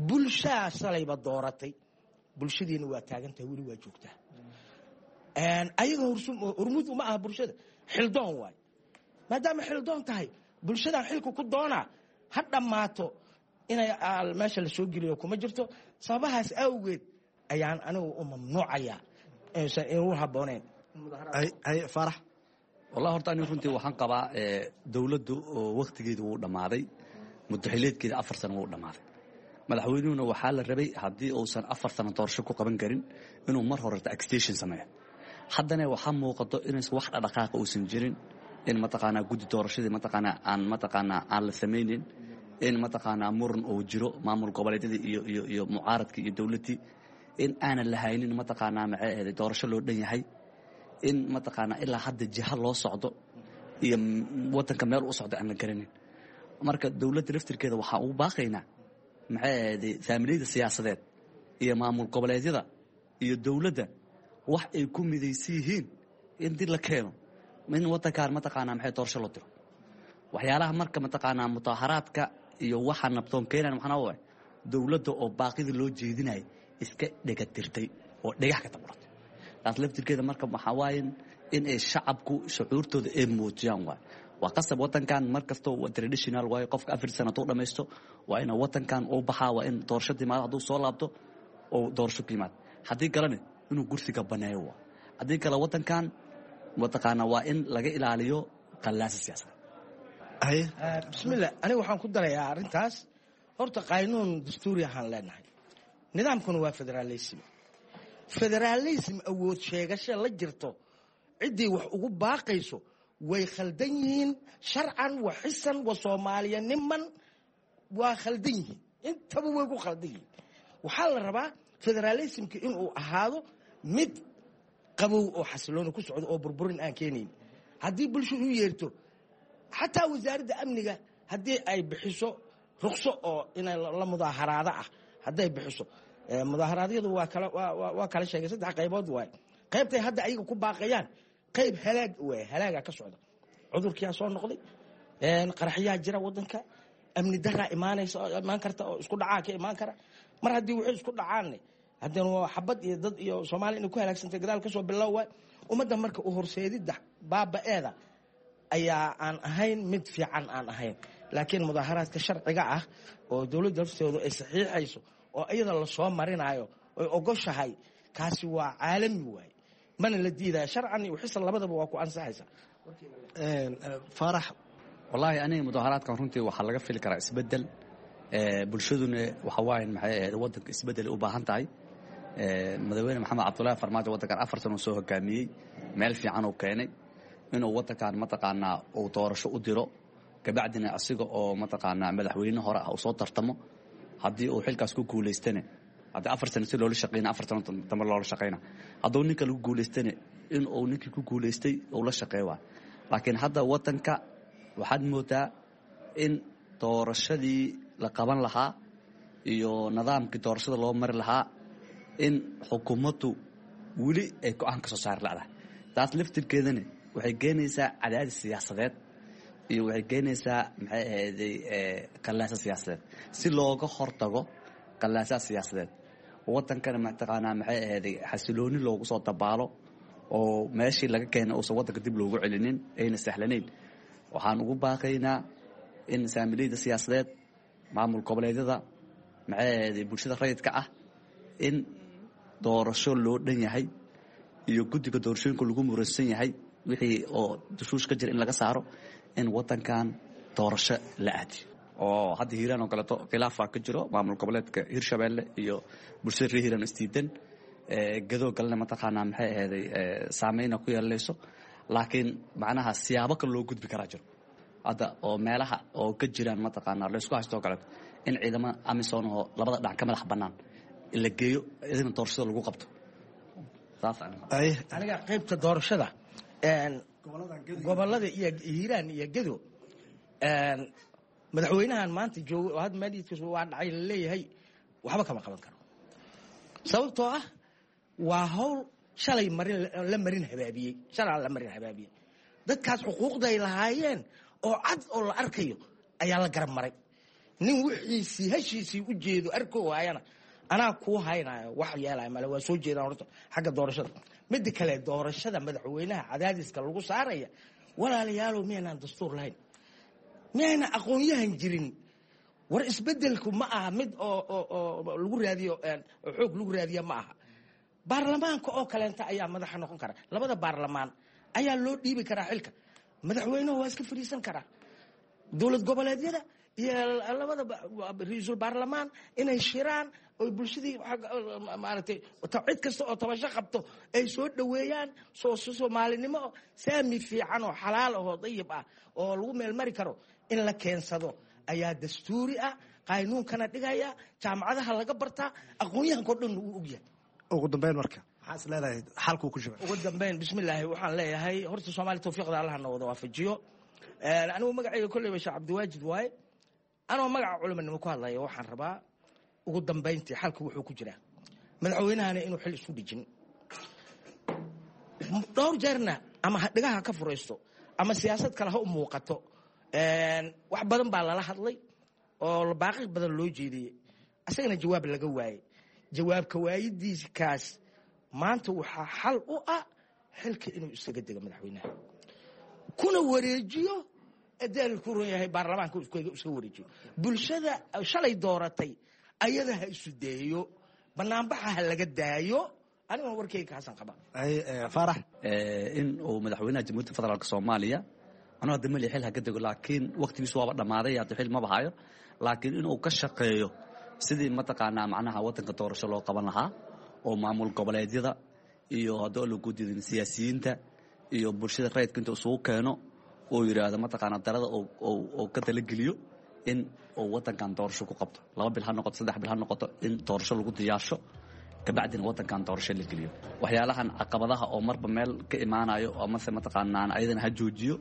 bulshaa shalayba dooratay, bulshadiina waa taagantahay, weli waa joogtaa. Ayaga hormuud uma aha bulshada, xildoon waay. Maadaama xildoon tahay, bulshadan xilka ku doonaa ha dhammaato inay meesha la soo geliyo kuma jirto. Sababahaas awgeed ayaan anigu u mamnuucayaa inaysan inuu habbooneyn. Faarax. Wallahi horta anigu runtii waxaan qabaa dowladdu oo wakhtigeedu wuu dhammaaday, mudaxileedkeeda 4 sano wuu dhammaaday. Madaxweynuhuna waxaa la rabay haddii uusan 4 sano doorasho ku qaban karin inuu mar horeta extension sameeyo. Haddana waxaa muuqato inaysan wax dhaqdhaqaaqa uusan jirin, in mataqaanaa guddi doorashadii mataqaanaa aan mataqaanaa aan la samaynin, in mataqaanaa muran uu jiro maamul goboleedyadii iyo iyo iyo mucaaradkii iyo dowladdii, in aanan lahaynin mataqaanaa maxay ahayd doorasho loo dhan yahay, in mataqaanaa ilaa hadda jiha loo socdo iyo wadanka meel u socdo aan la garanin. Marka dowladda laftirkeeda waxaan ugu baaqaynaa maxay ahayd faamiliyada siyaasadeed iyo maamul goboleedyada iyo dowladda wax ay ku midaysan yihiin in dib la keeno, in wadankaan mataqaanaa maxay doorasho loo diro. Waxyaalaha marka mataqaanaa mudaharaadka iyo waxa nabdoon keenan maxaa waay dowladda oo baaqidii loo jeedinayay iska dhegatirtay oo dhagax ka taburatay. Taas laftirkeeda marka waxaa waaye in ay shacabku shucuurtooda ay muujiyaan waay. Waa qasab wadankan mar kastoo traditional waayo, qofka 4 sano hadduu dhamaysto waa ina wadankan uu baxaa, waa in doorasho timaado, hadduu soo laabto oo doorasho ku yimaado, haddii kalena inuu gursiga baneeyo waa. Haddii kale wadankan mataqaanaa waa in laga ilaaliyo qallaasa siyaasadeed. Bismillah, aniga waxaan ku darayaa arrintaas. Horta qaynuun dastuuri ahaan leenahay, nidaamkuna waa federalism. Federalism awood sheegasho la jirto, ciddii wax ugu baaqayso way khaldan yihiin, sharcan wa xisan wa soomaaliya niman waa khaldan yihiin, intaba way ku khaldan yihiin. Waxaa la rabaa federalismka inuu ahaado mid qabow oo xasilooni ku socdo oo burburin aan keenayn. Haddii bulshadu u yeerto, xataa wasaaradda amniga haddii ay bixiso ruqso oo inay la mudaaharaado ah hadday bixiso, mudaharaadyadu waa kala sheegay, saddex qaybood waay. Qaybtay hadda ayaga ku baaqayaan qayb halaag waay, halaagaa ka socda, cudurkiyaa soo noqday, qaraxyaa jira wadanka, amni daraa imaanaysa, imaan karta oo isku dhacaa ka imaan kara. Mar haddii waxay isku dhacaanne, haddana waa xabad iyo dad iyo Soomaaliya inay ku halaagsantay gadaal kasoo bilow waay. Ummadda marka u horseedidda baaba-eeda ayaa aan ahayn mid fiican aan ahayn, laakiin mudaaharaadka sharciga ah oo dowladda laftoodu ay saxiixayso oo iyada lasoo marinayo oy ogoshahay, kaasi waa caalami waaye, mana la diidaya, sharcan iyo xisan labadaba waa ku ansaxaysa. Faarax. Wallaahi aniga mudaharaadkan runtii waxaa laga fili karaa isbedel, bulshaduna waxa waaye maxay ahayd wadanka isbedel u baahan tahay. Madaxweyne Maxamed Cabdullaahi Farmaajo waddankan 4 sano soo hogaamiyey, meel fiican uu keenay. Inuu waddankan mataqaanaa uu doorasho u diro, kabacdina asiga oo mataqaanaa madaxweyne hore ah uu soo tartamo. Haddii uu xilkaas ku guulaystana, haddii 4 sano si loola shaqeyna, 4 sano dambe loola shaqeyna. Hadduu ninka lagu guulaystana, in uu ninkii ku guulaystay uu la shaqeey waay. Laakiin hadda waddanka waxaad moodaa in doorashadii la qaban lahaa iyo nidaamkii doorashada loo mari lahaa in xukuumaddu weli ay go-aan ka soo saari la'dahay. Taas laftirkeedana waxay keenaysaa cadaadis siyaasadeed iyo waxay keenaysaa, maxay ahayday, qallaasa siyaasadeed. Si looga hortago qallaasaha siyaasadeed, waddankana mataqaanaa, maxay ahayday, xasilooni loogu soo dabaalo oo meeshii laga keenay uusan waddanka dib loogu celinin ayna sahlanayn, waxaan ugu baaqaynaa in saamileyda siyaasadeed, maamul goboleedyada, maxay ahayday, bulshada rayidka ah, in doorasho loo dhan yahay iyo guddiga doorashooyinka lagu muransan yahay wixii oo dushuush ka jira in laga saaro, in waddankan doorasho la aadiyo. Oo hadda Hiiraan oo kaleeto khilaafaa ka jiro, maamul goboleedka Hirshabeelle iyo bulshada reer Hiiraan isdiidan. Gadoo galena mataqaanaa, maxay ahayday, saameyna ku yeelanayso. Laakiin macnaha siyaabo kale loo gudbi karaa jiro hadda oo meelaha oo ka jiraan mataqaanaa laysku haysto oo kaleeto, in ciidamada AMISOM oo labada dhinac ka madax bannaan la geeyo, idina doorashada lagu qabto. Aniga qaybta doorashada gobolada iyo Hiiraan iyo Gedo, madaxweynahan maanta joogo oo hadda maaliidkiisu waa dhacay laleeyahay waxba kama qaban karo, sababtoo ah waa hawl shalay marin la marin habaabiyey, shalaa la marin habaabiyey. Dadkaas xuquuqday lahaayeen oo cad oo la arkayo ayaa la garab maray. Nin wixiisii heshiisii u jeedo arko waayana anaa kuu haynayo wax yeelaya male. Waa soo jeedaan horta xagga doorashada. Midda kale, doorashada madaxweynaha cadaadiska lagu saaraya, walaalayaalow, miyaynaan dastuur lahayn? Miyayna aqoon-yahan jirin? War isbedelku ma aha mid oo lagu raadiyo xoog lagu raadiya ma aha. Baarlamaanka oo kaleenta ayaa madaxa noqon kara, labada baarlamaan ayaa loo dhiibi karaa xilka. Madaxweynuhu waa iska fadhiisan karaa. Dowlad goboleedyada iyo labada ra-iisul baarlamaan inay shiraan oy bulshadii, maaragtay, cid kasta oo tabasho qabto ay soo dhoweeyaan, soomaalinimo saami fiican oo xalaal ahoo dayib ah oo lagu meelmari karo in la keensado ayaa dastuuri ah, qaynuunkana dhigaya, jaamacadaha laga bartaa, aqoon-yahanka o dhan uu ogyahay. Ugu dambeyn marka, maxaa is leedahay xalkuu ku jira? Ugu dambeyn, bismillaahi, waxaan leeyahay horta Soomaaliya tawfiiqda Allaha na wada waafajiyo. Anigu magacayga kolleyba Sheekh Cabdiwaajid waaye. Anoo magaca culimanimo ku hadlaya, waxaan rabaa ugu dambayntii xalku wuxuu ku jiraa madaxweynahana inuu xil isku dhijin dhowr jeerna, ama dhigaha ka furaysto ama siyaasad kale ha u muuqato. Wax badan baa lala hadlay oo baaqi badan loo jeediyey, asagana jawaab laga waayey. Jawaabka waayidiikaas maanta waxaa xal u ah xilka inuu isaga dego madaxweynaha, kuna wareejiyo adaal ku ron yahay baarlamaanka, iska wareejiyo. Bulshada shalay dooratay ayada ha isu deeyo, banaanbaxa ha laga daayo. Aniguna warkeyga kaasan qaba. Faarax. In uu madaxweynaha Jamhuuriyadda Federaalk Soomaaliya, anuu hadda mali xil ha ka dego, laakiin waqtigiisu waaba dhammaaday, hadda xil maba hayo, laakiin inuu ka shaqeeyo sidii mataqaanaa macnaha waddanka doorasho loo qaban lahaa oo maamul goboleedyada iyo haddii lagu diidin siyaasiyiinta iyo bulshada rayidka inta isugu keeno oo yidhaahdo mataqaanaa darada oo ka talageliyo in uu waddankan doorasho ku qabto, 2 bil ha noqoto, 3 bil ha noqoto, in doorasho lagu diyaarsho, kabacdina waddankan doorasho la geliyo. Waxyaalahan caqabadaha oo marba meel ka imaanayo amase mataqaanaa ayadana ha joojiyo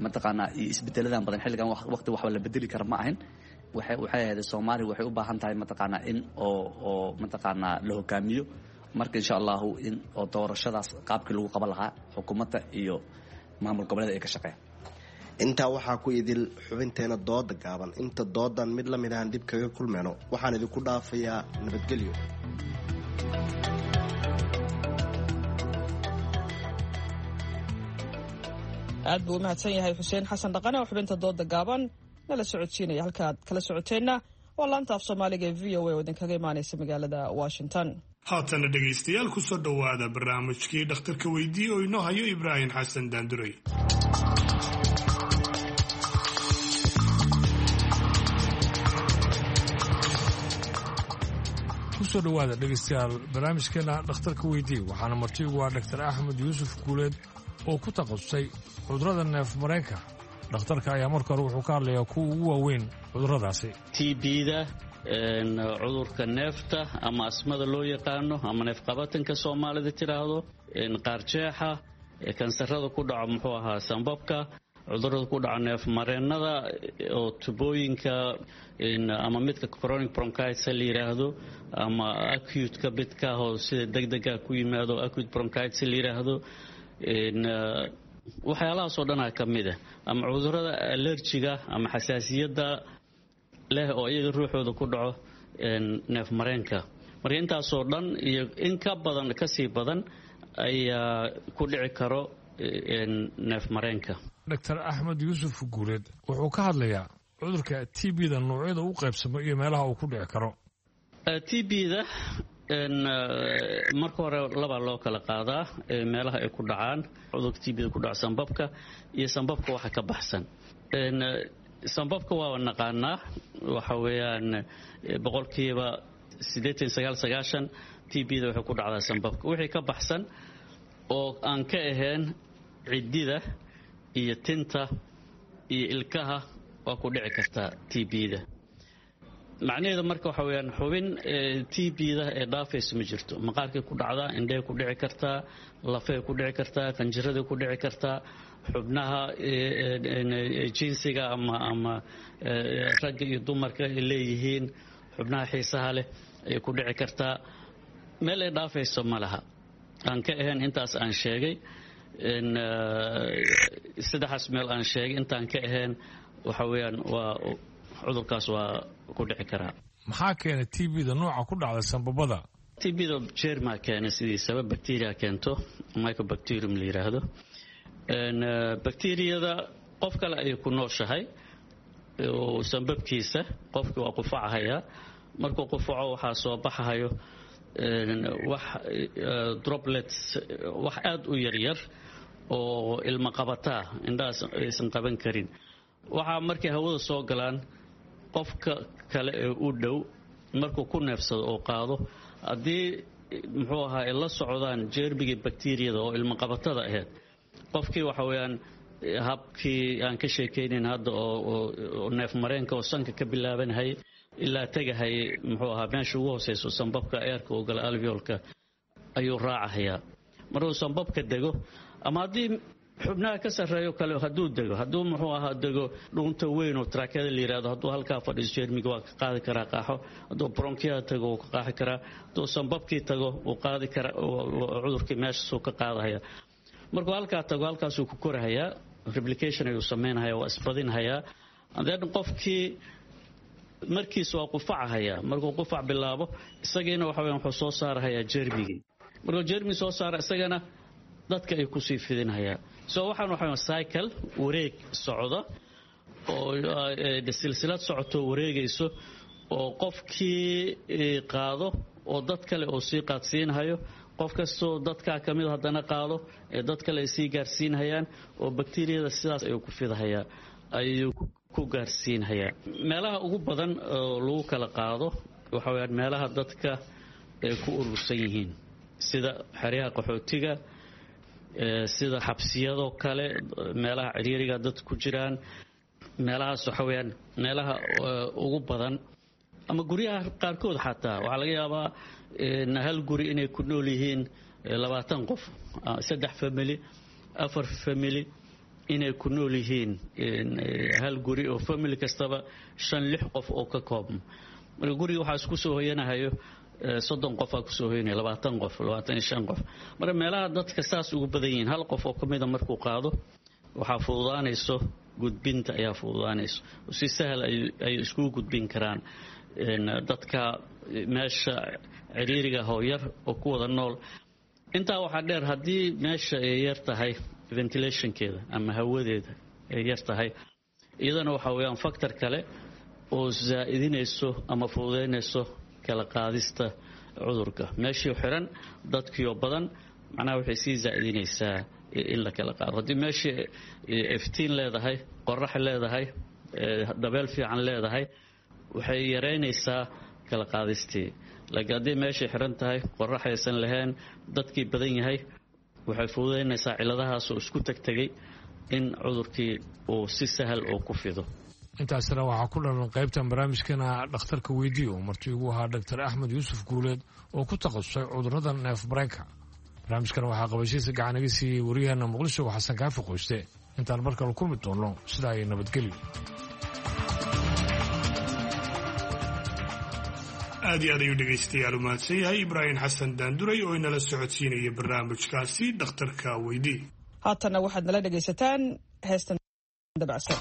mataqaanaa iyo isbedeladan badan. Xilligan waqti waxba la bedeli kara ma ahin. Waxay ahayd Soomaaliya waxay u baahan tahay mataqaanaa in oo mataqaanaa la hogaamiyo. Marka insha Allahu in oo doorashadaas qaabkii lagu qaban lahaa xukuumadda iyo maamul goboleeda ay ka shaqeeyaan. Intaa waxaa ku idil xubinteena dooda gaaban. Inta doodan mid la mid ahan dib kaga kulmayno, waxaan idinku dhaafayaa nabadgelyo. Aad buu u mahadsan yahay Xuseen Xasan Dhaqane oo xubinta dooda gaaban nala socodsiinaya. Halkaaad kala socoteenna waa laanta af Soomaaliga ee VOA oo idinkaga imaanaysa magaalada Washington. Haatana dhegaystayaal, ku soo dhowaada barnaamijkii dhakhtarka weydiiye oo inoo hayo Ibraahim Xasan Daanduray. Kusoo dhowaada dhegaystayaal barnaamijkeena dhakhtarka weydii. Waxaana marti ugu ah Dhaktar Axmed Yuusuf Guuleed oo ku takhasusay cudurrada neef mareenka. Dhakhtarka ayaa marka hore wuxuu ka hadlayaa kuwa ugu waaweyn cudurradaasi. TB-da, cudurka neefta ama asmada loo yaqaano ama neefqabatanka Soomaalida tidhaahdo, qaarjeexa, kansarada ku dhaco muxuu ahaa sambabka, cudurada ku dhaco neefmareennada oo tubooyinka ama midka chronic bronchitis la yidhaahdo ama acute-ka midka oo sida degdega ku yimaado acute bronchitis la yidhaahdo, waxyaalahaasoo dhanaa ka mid ah, ama cudurada allergiga ama xasaasiyadda leh oo iyaga ruuxooda ku dhaco neefmareenka. Marka intaasoo dhan iyo in ka badan, kasii badan ayaa ku dhici karo neefmareenka. Dr Axmed Yuusuf Guuleed wuxuu ka hadlayaa cudurka TB-da, noocyada u qaybsamo iyo meelaha uu ku dhici karo. TB-da marka hore labaa loo kala qaadaa meelaha ay ku dhacaan. Cudurka TB-da ku dhaco sambabka iyo sambabka waxa ka baxsan. Sambabka waaba naqaanaa, waxa weeyaan 89%, 90% TB-da waxay ku dhacdaa sambabka. Wixii ka baxsan oo aan ka ahayn ciddida iyo tinta iyo ilkaha waa ku dhici kartaa TB-da. Macnaheedu marka waxa weyaan xubin TB-da ee dhaafaysa ma jirto. Maqaarkay ku dhacdaa, indhehay ku dhici kartaa, lafay ku dhici kartaa, qanjiraday ku dhici kartaa, xubnaha jinsiga ama ragga iyo dumarka ay leeyihiin, xubnaha xiisaha leh ayay ku dhici kartaa. Meel ay dhaafayso ma laha aan ka ahayn intaas aan sheegay, saddexaas meel aan sheegay. Intaan ka ahayn waxa weeyaan waa cudurkaas waa ku dhici karaa. Maxaa keena TB-da nooca ku dhacda sambabada? TB-da jermaa keena sidiisaba, bacteria keento, microbacterium la yiraahdo. Bacteriyada qof kale ayay ku nooshahay oo sambabkiisa. Qofkii waa qufacahayaa, markuu qufaco waxaa soo baxahayo wax droplets, wax aada u yaryar oo ilma qabataa, indhahaas aysan qaban karin. Waxaa markay hawada soo galaan qofka kale ee u dhow markuu ku neefsado oo qaado, haddii muxuu ahaa ay la socdaan jeermigii bakteriyada oo ilmaqabatada ahayd, qofkii waxa weeyaan habkii aan ka sheekaynayn hadda oo neefmareenka oo sanka ka bilaabanhay ilaa tegahay muxuu ahaa meesha ugu hooseyso sambabka eerka oo gala alveolka ayuu raacahayaa. Markuu sambabka dego ama haddii xubnaha ka sarreeyo kale hadduu dego, hadduu muxuu ahaa dego dhuunta weyn oo taraakada la yirahdo, hadduu halkaa fadhiiso jeermiga waa ka qaadi karaa qaaxo. Hadduu bronkiyaha tago wuu ka qaaxi karaa. Hadduu sambabkii tago wuu qaadi karaa cudurkii, meeshaasuu ka qaadahaya. Markuu halkaa tago halkaasuu ku korahayaa, replication ayuu samaynhayaa, waa isbadinhayaa. Then qofkii markiis waa qufacahayaa. Markuu qufac bilaabo isagiina waxa weyan wuxuu soo saarahayaa jeermigii. Markuu jeermigi soo saara isagana dadka ay kusii fidinhayaa. So waxaan waxa cycle wareeg socda oo silsilad socoto wareegayso oo qofkii qaado oo dad kale oo sii qaadsiinhayo, qof kastoo dadkaa ka mid haddana qaado ee dad kale ay sii gaarsiinhayaan oo bakteriyada sidaas ayuu ku fidahayaa, ayuu ku gaarsiinhayaa. Meelaha ugu badan oo lagu kala qaado waxa weyaan meelaha dadka ay ku urursan yihiin, sida xeryaha qaxootiga, sida xabsiyadoo kale, meelaha ciriiriga dad ku jiraan. Meelahaas waxa weyaan meelaha ugu badan, ama guryaha qaarkood xataa waxaa laga yaabaa hal guri inay ku nool yihiin 20 qof, saddex family, afar family inay ku nool yihiin hal guri oo family kastaba shan lix qof oo ka koobmo. Marka guriga waxaa isku soo hoyanahayo 30 qofaa kusoo hoyanaya, 20 qof, 25 qof. Marka meelaha dadka saas ugu badan yihiin hal qof oo ka mida markuu qaado waxaa fududaanayso gudbinta, ayaa fududaanayso, si sahal ay iskugu gudbin karaan dadka meesha ciriiriga hooyar oo ku wada nool. Intaa waxaa dheer, haddii meesha ay yar tahay ventilationkeeda ama hawadeeda ay yar tahay, iyadana waxa weeyaan factor kale oo zaa'idinayso ama fududaynayso kala qaadista cudurka. Meeshii xiran, dadkiioo badan, macnaha waxay sii zaa'idinaysaa in la kala qaado. Haddii meeshii iftiin leedahay, qorax leedahay, dabeel fiican leedahay, waxay yareynaysaa kala qaadistii. Laakiin haddii meeshay xiran tahay, qorax aysan lahayn, dadkii badan yahay, waxay fududaynaysaa ciladahaas oo isku tegtegay in cudurkii uu si sahal oo ku fido. Intaasina waxaa ku dhalan qaybtan barnaamijkana dhakhtarka weydii oo marti ugu ahaa Dr Axmed Yuusuf Guuleed oo ku takhasusay cudurrada neef mareenka. Barnaamijkan waxaa qabashiisa gacan iga siiyey waryaheena Muqdisho, Xasan Kaafi Qoyste. Intaan mar kale kulmi doonno, sidaa ay nabadgelyo. Aad iyo aad ayuu dhegaystayaal u mahadsan yahay Ibraahim Xasan Daanduray oo inala socodsiinaya barnaamijkaasi dhakhtarka weydii. Haatanna waxaad nala dhegaysataan heestan dabacsan.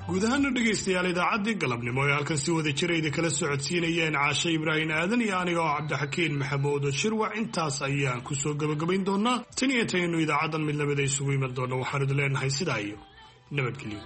Guud ahaana dhegaystayaal, idaacaddii galabnimo ee halkan si wada jira idinkala socodsiinayeen Caashe Ibraahim Aadan iyo aniga oo Cabdixakiin Maxamuud Shirwac, intaas ayaan kusoo gebagabayn doonaa. Tan iyo intaynu idaacaddan mid lamida isugu iman doonno, waxaanu idin leenahay sidaa iyo nabadgelyo.